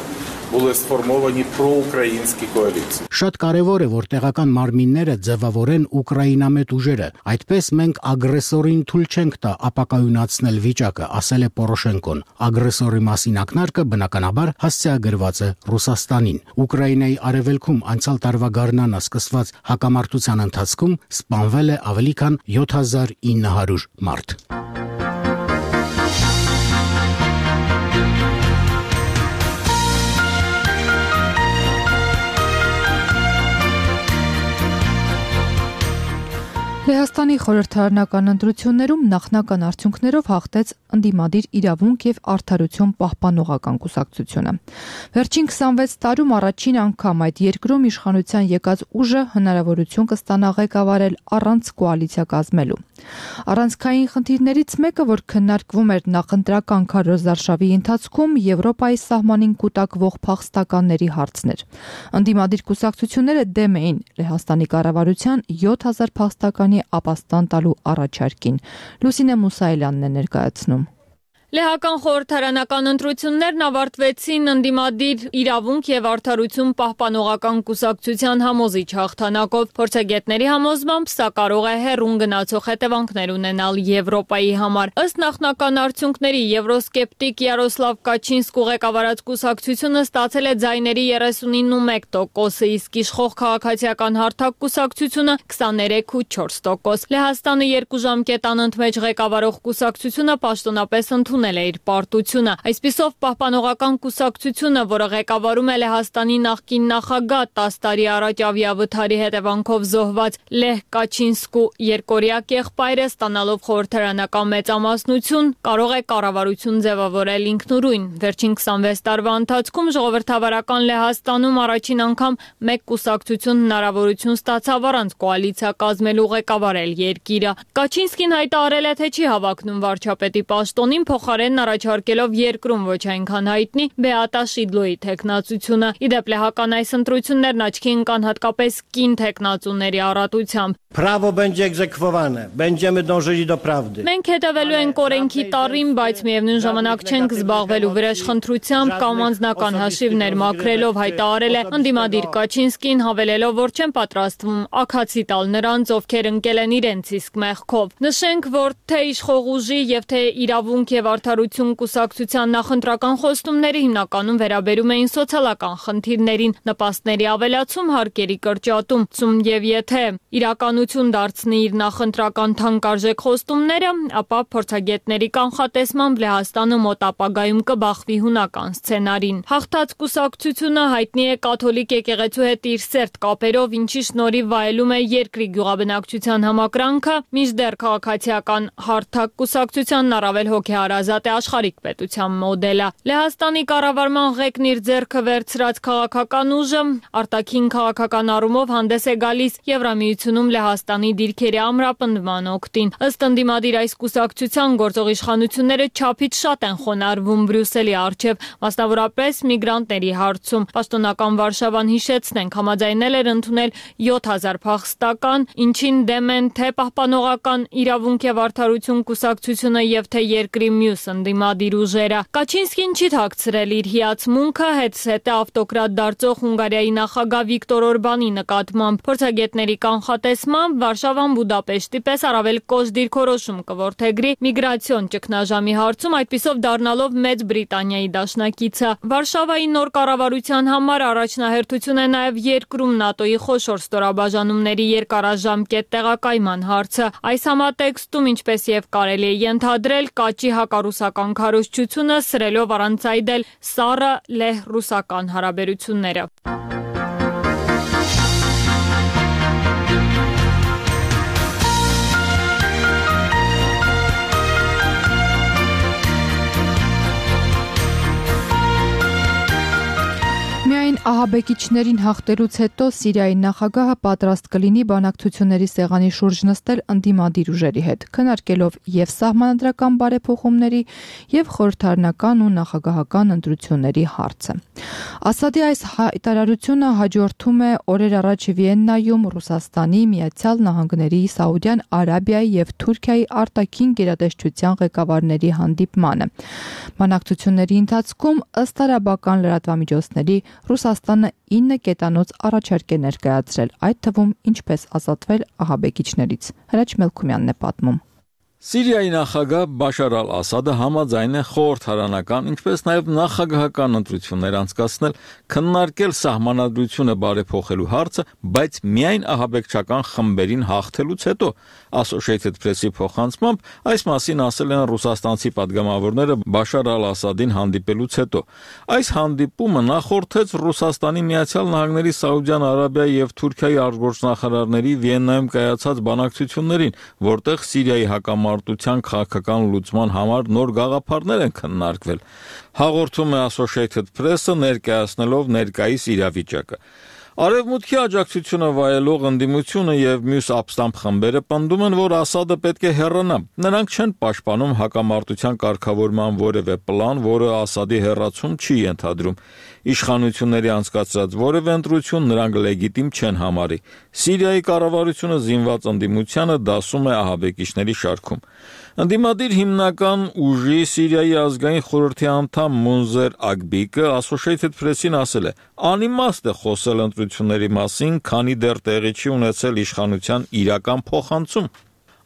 були сформовані проукраїнські коаліції. Շատ կարևոր է, որ տեղական մարմինները ձևավորեն ուկրաինամետ ուժերը։ Այդպես մենք ագրեսորին թույլ չենք տա ապակայունացնել վիճակը, ասել է Պորոշենկոն։ Ագրեսորի մասին ակնարկը բնականաբար հասցեագրված է Ռուսաստանին։ Ուկրաինայի արևելքում անցյալ տարվա գարնանը սկսված հակամարտության ընթացքում սպանվել է ավելի քան 7900 մարդ։ Լեհաստանի խորհրդարանական ընտրություններում նախնական արդյունքներով հաղթեց ընդդիմադիր իրավունք եւ արդարություն պահպանողական կուսակցությունը։ Վերջին 26 տարում առաջին անգամ այդ երկրում իշխանության եկած ուժը հնարավորություն կստանա ղեկավարել առանց կոալիցիա կազմելու։ Առանցքային խնդիրներից մեկը, որ քննարկվում էր նախընտրական քարոզարշավի ընթացքում, Եվրոպայի սահմանին կուտակվող փախստականների հարցն էր։ Ընդդիմադիր կուսակցությունները դեմ էին Լեհաստանի կառավարության 7000 փախստականի ապաստան տալու առաջարկին։ Լուսինե Մուսայելյանն է ներկայացնում։ Լեհական խորհրդարանական ընտրություններն ավարտվեցին ընդդիմադիր իրավունք եւ արդարություն պահպանողական կուսակցության համոզիչ հաղթանակով։ Փորձագետների համոզմամբ սա կարող է հեռուն գնացող հետևանքներ ունենալ Եվրոպայի համար։ Ըստ նախնական արդյունքների եվրոսկեպտիկ Յարոսլավ Կաչինսկու ղեկավարած կուսակցությունը ստացել է ձայների 39.1%, իսկ իշխող քաղաքացիական հարթակ կուսակցությունը 23.4%։ Լեհաստանը 2 ժամկետ անընդմեջ ղեկավարող կուսակցությունը պաշտոնապես ընդունել է իր պարտությունը։ Այսպիսով պահպանողական կուսակցությունը, որը ղեկավարում է Լեհաստանի նախկին նախագահ 10 տարի առաջ ավիավթարի հետևանքով զոհված Լեհ Կաչինսկու երկորյակ եղբայրը, ստանալով խորհրդարանական մեծամասնություն, կարող է կառավարություն ձևավորել ինքնուրույն։ Վերջին 26 տարվա ընթացքում ժողովրդավարական Լեհաստանում առաջին անգամ մեկ կուսակցություն հնարավորություն ստացավ առանց կոալիցիա կազմելու ղեկավարել երկիրը։ Կաչինսկին հայտարարել է, թե չի հավակնում վարչապետի պաշտոնին, փոխարենն առաջարկելով երկրում ոչ այնքան հայտնի Բեատա Շիդլոյի թեկնածությունը։ Իդեպ լեհական այս ընտրություններն աչքի ընկան հատկապես կին թեկնածուների առատությամբ։ Право będzie egzekwowane. Będziemy dążyli do prawdy. Մենք հետևելու ենք օրենքի տառին, բայց միևնույն ժամանակ չենք զբաղվելու վրեժխնդրությամբ կամ անձնական հաշիվներ մաքրելով, հայտարարել է ընդդիմադիր Կաչինսկին, հավելելով, որ չեն պատրաստվում աքացի տալ նրանց, ովքեր ընկել են իրենց իսկ մեղքով։ Նշենք, որ թե իշխող ուժի եւ թե իրավունք եւ արդարություն կուսակցության նախընտրական խոստումները հիմնականում վերաբերում էին սոցիալական խնդիրներին, նպաստների ավելացում, հարկերի կրճատում, եւ եթե իրականություն դարձնի իր նախընտրական թանկարժեք խոստումները, ապա փորձագետների կանխատեսմամբ Լեհաստանը մոտ ապագայում կբախվի հունական սցենարին։ Հաղթած կուսակցությունը հայտնի է կաթոլիկ եկեղեցու հետ իր սերտ կապերով, ինչի շնորհիվ վայելում է երկրի գյուղաբնակչության համակրանքը, մինչդեռ քաղաքացիական հարթակ կուսակցությանն առավել հոգեհարազատ է աշխարհիկ պետության մոդելը։ Լեհաստանի կառավարման ղեկն իր ձեռքը վերցրած քաղաքական ուժը արտաքին քաղաքական առումով հանդես է գալիս Եվրամիությունում Լեհաստանի դիրքերի ամրապնդման օգտին։ Ըստ ընդդիմադիր այս կուսակցության գործող իշխանությունները չափից շատ են խոնարհվում Բրյուսելի առջև, մասնավորապես միգրանտների հարցում։ Պաշտոնական Վարշավան, հիշեցնենք, համաձայնել էր ընդունել 7000 փախստական, ինչին դեմ են թե պահպանողական իրավունք եւ արդարություն կուսակցությունը եւ թե երկրի մյուս ընդդիմադիր ուժերը։ Կաչինսկին չի թաքցրել իր հիացմունքը հետսետե ավտոկրատ դարձող Հունգարիայի նախագահ Վիկտոր Օրբանի նկատմամբ։ Փորձագետների կանխատեսմամբ Վարշավան Բուդապեշտի պես առավել կոշտ դիրքորոշում կորդեգրի միգրացիոն ճգնաժամի հարցում, այդպիսով դառնալով Մեծ Բրիտանիայի դաշնակիցը։ Վարշավայի նոր կառավարության համար առաջնահերթություն է նաև երկրում ՆԱՏՕ-ի խոշոր ստորաբաժանումների երկարաժամկետ տեղակայման հարցը։ Այս համատեքստում, ինչպես եւ կարելի է ենթադրել, կաճի հակառու ռուսական քարոզչությունը, սրելով առանց այդել սառը լեհ-ռուսական հարաբերությունները։ Միայն ահաբեկիչներին հաղթելուց հետո Սիրիայի նախագահը պատրաստ կլինի բանակցությունների սեղանի շուրջ նստել ընդդիմադիր ուժերի հետ, քննարկելով եւ սահմանադրական բարեփոխումների եւ խորհրդարանական ու նախագահական ընտրությունների հարցը։ Ասադի այս հայտարարությունը հաջորդում է օրեր առաջ Վիեննայում Ռուսաստանի, Միացյալ Նահանգների, Սաուդյան Արաբիայի եւ Թուրքիայի արտաքին գերատեսչության ղեկավարների հանդիպմանը։ Բանակցությունների ընթացքում ըստ արաբական լրատվամիջոցների Ռուսաստանը 9 կետանոց առաջարկ է ներկայացրել, այդ թվում ինչպես ազատվել ահաբեկիչներից։ Հրաչ Մելքումյանն է պատմում։ Սիրիայի նախագահ Բաշար ալ-Ասադը համաձայն է խորհրդարանական, ինչպես նաև նախագահական ընտրություններ անցկացնել, քննարկել սահմանադրությունը բարեփոխելու հարցը, բայց միայն ահաբեկչական խմբերին հաղթելուց հետո, Associated Press-ի փոխանցմամբ, այս մասին ասել են ռուսաստանցի падգամավորները Բաշար ալ-Ասադին հանդիպելուց հետո։ Այս հանդիպումը նախորդեց Ռուսաստանի, Միացյալ Նահանգների, Սաուդյան Արաբիայի եւ Թուրքիայի արտգործնախարարների Վիեննայում կայացած բանակցություններին, որտեղ Սիրիայի հակամարտության քաղաքական լուծման համար նոր գաղափարներ են քննարկվել։ Հաղորդում է Associated Press-ը ներկայացնելով ներկայիս իրավիճակը։ Արևմուտքի աջակցությունը վայելող ընդդիմությունը եւ մյուս ապստամբ խմբերը պնդում են, որ Ասադը պետք է հեռանա։ Նրանք չեն պաշտպանում հակամարտության կարգավորման որևէ պլան, որը Ասադի հեռացում չի ենթադրում։ Իշխանությունների անցկացրած որևէ ընտրություն նրանք լեգիտիմ չեն համարի։ Սիրիայի կառավարությունը զինված ընդդիմությանը դասում է ահաբեկիչների շարքում։ Ընդդիմադիր հիմնական ուժի Սիրիայի ազգային խորհրդի անդամ Մունզեր Ագբիկը Associated Press-ին ասել է. «Անիմաստ է խոսել ընտրությունների մասին, քանի դեռ տեղի չի ունեցել իշխանության իրական փոխանցում»։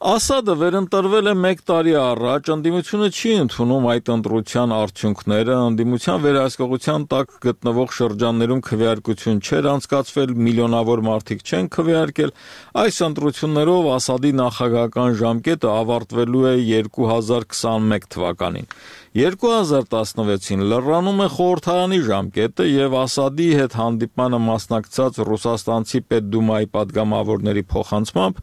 Ասադը վերընտրվել է 1 տարի առաջ, ընդդիմությունը չի ընդունում այդ ընտրության արդյունքները, ընդդիմության վերահսկողության տակ գտնվող շրջաններում քվեարկություն չէր անցկացվել, միլիոնավոր մարդիկ չեն քվեարկել։ Այս ընտրություններով Ասադի նախագահական ժամկետը ավարտվելու է 2021 թվականին։ 2016-ին լրանում է խորհրդարանի ժամկետը եւ Ասադի հետ հանդիպմանը մասնակցած ռուսաստանցի Պետդումայի падգամավորների փոխանցմամբ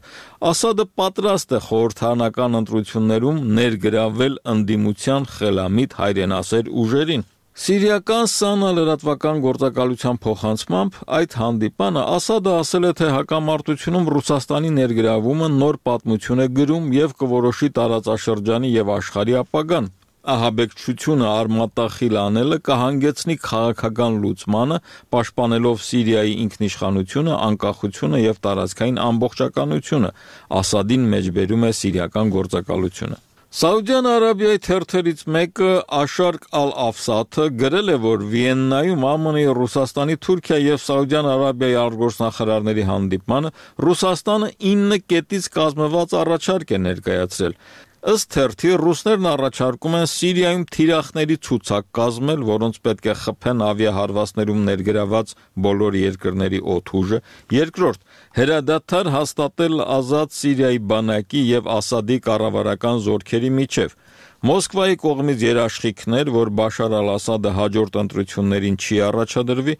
Ասադը պատրաստ է խորհրդարանական ընտրություններում ներգրավել ընդդիմության խելամիտ հայրենասեր ուժերին։ Սիրիական Սանա լրատվական գործակալության փոխանցմամբ այդ հանդիպանը Ասադը ասել է, թե հակամարտությունում Ռուսաստանի ներգրավումը նոր պատմություն է գրում եւ կորոշի տարածաշրջանի եւ աշխարհի ապագան։ Ահաբեկչությունը արմատախիլ անելը կհանգեցնի քաղաքական լուծմանը, պաշտպանելով Սիրիայի ինքնիշխանությունը, անկախությունը եւ տարածքային ամբողջականությունը, Ասադին մեջբերում է սիրիական գործակալությունը։ Սաուդյան Արաբիայի թերթերից մեկը Աշարկ ալ-Աֆսաթը գրել է, որ Վիեննայում ԱՄՆ-ի, Ռուսաստանի, Թուրքիայի եւ Սաուդյան Արաբիայի արտգործնախարարների հանդիպմանը Ռուսաստանը 9 կետից կազմված առաջարկ է ներկայացրել։ Ըստ թերթի ռուսներն առաջարկում են Սիրիայում թիրախների ցուցակ կազմել, որոնց պետք է խփեն ավիահարվածներում ներգրաված բոլոր երկրների օդուժը։ Երկրորդ, հրադադար հաստատել ազատ Սիրիայի բանակի եւ Ասադի կառավարական զորքերի միջև։ Մոսկվայի կողմից երաշխիքներ, որ Բաշար ալ-Ասադը հաջորդ ընտրություններին չի առաջադրվի,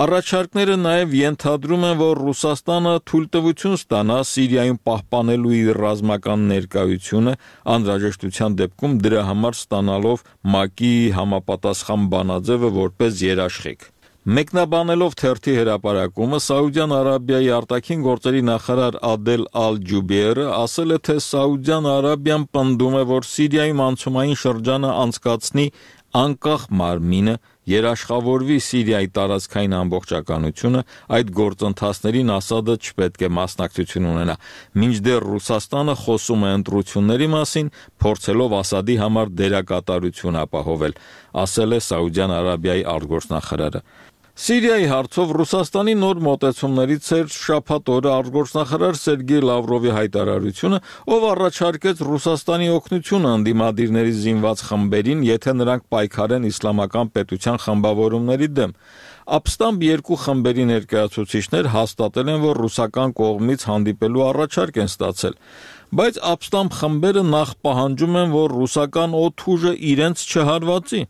առաջարկները նաև ենթադրում են, որ Ռուսաստանը թույլտվություն ստանա Սիրիայում պահպանելու իր ռազմական ներկայությունը, անհրաժեշտության դեպքում դրա համար ստանալով ՄԱԿ-ի համապատասխան բանաձևը որպես երաշխիք։ Մեկնաբանելով թերթի հրապարակումը, Սաուդյան Արաբիայի արտաքին գործերի նախարար Ադել Ալ-Ջուբեյրը ասել է, թե Սաուդյան Արաբիան պնդում է, որ Սիրիայում անցումային շրջանը անցկացնի անկախ մարմինը, երաշխավորվի Սիրիայի տարածքային ամբողջականությունը, այդ գործընթացներին Ասադը չպետք է մասնակցություն ունենա, մինչդեռ Ռուսաստանը խոսում է ընտրությունների մասին, փորձելով Ասադի համար դերակատարություն ապահովել, ասել է Սաուդյան Արաբիայի արտգործնախարարը։ Սիրիայի հարցով Ռուսաստանի նոր մոտեցումներից էր շաբաթ օրը արտգործնախարար Սերգեյ Լավրովի հայտարարությունը, ով առաջարկեց Ռուսաստանի օգնությունը ընդդիմադիրների զինված խմբերին, եթե նրանք պայքարեն իսլամական պետության խմբավորումների դեմ։ Ապստամբ երկու խմբերի ներկայացուցիչներ հաստատել են, որ ռուսական կողմից հանդիպելու առաջարկ են ստացել։ բայց ապստամբ խմբերը նախ պահանջում են, որ ռուսական օդուժը իրենց չհարվածի։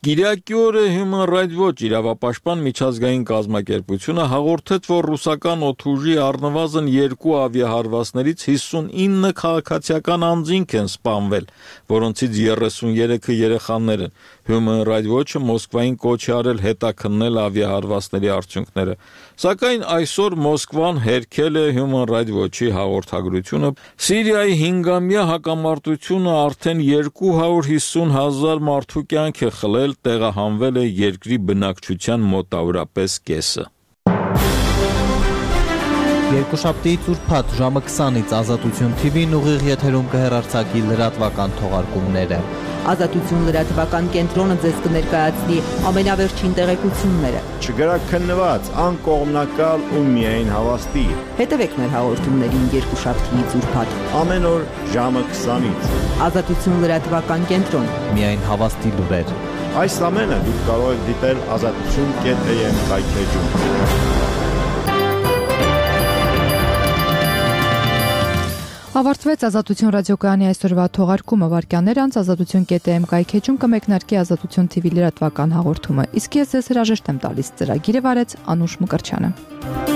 Կիրակի օրը Human Rights Watch իրավապաշտպան միջազգային կազմակերպությունը հաղորդեց, որ ռուսական օդուժի առնվազն 2 ավիահարվածներից 59 քաղաքացիական անձինք են սպանվել, որոնցից 33-ը երեխաներ են։ Human Rights Watch-ը Մոսկվային կոչ է արել հետաքննել ավիահարվածների արդյունքները։ Սակայն այսօր Մոսկվան հերքել է Human Rights Watch-ի հաղորդագրությունը։ Սիրիայի 5-ամյա հակամարտությունը արդեն 250,000 մարդու կյանք է խլել, տեղահանվել է երկրի բնակչության մոտավորապես կեսը։ Երկուշաբթիից ուրբաթ ժամը 20-ից Ազատություն TV-ն ուղիղ եթերում կհեռարձակի լրատվական թողարկումները։ Ազատություն լրատվական կենտրոնը ձեզ կներկայացնի ամենավերջին տեղեկությունները։ Չգրաքննված, անկողմնակալ ու միայն հավաստի։ Հետևեք մեր հաղորդումներին երկուշաբթիից ուրբաթ ամեն օր ժամը 20-ից։ Ազատություն լրատվական կենտրոն։ Միայն հավաստի լուրեր։ Այս ամենը դուք կարող եք դիտել azatutun.am կայքեջում։ Ավարտվեց Ազատություն ռադիոկայանի այսօրվա թողարկումը, վարքյաններ անց azatutun.am կայքեջում կմեկնարկի Ազատություն TV լրատվական հաղորդումը։ Իսկ ես հրաժեշտ եմ տալիս ծրագիրը վարեց Անուշ Մկրչյանը։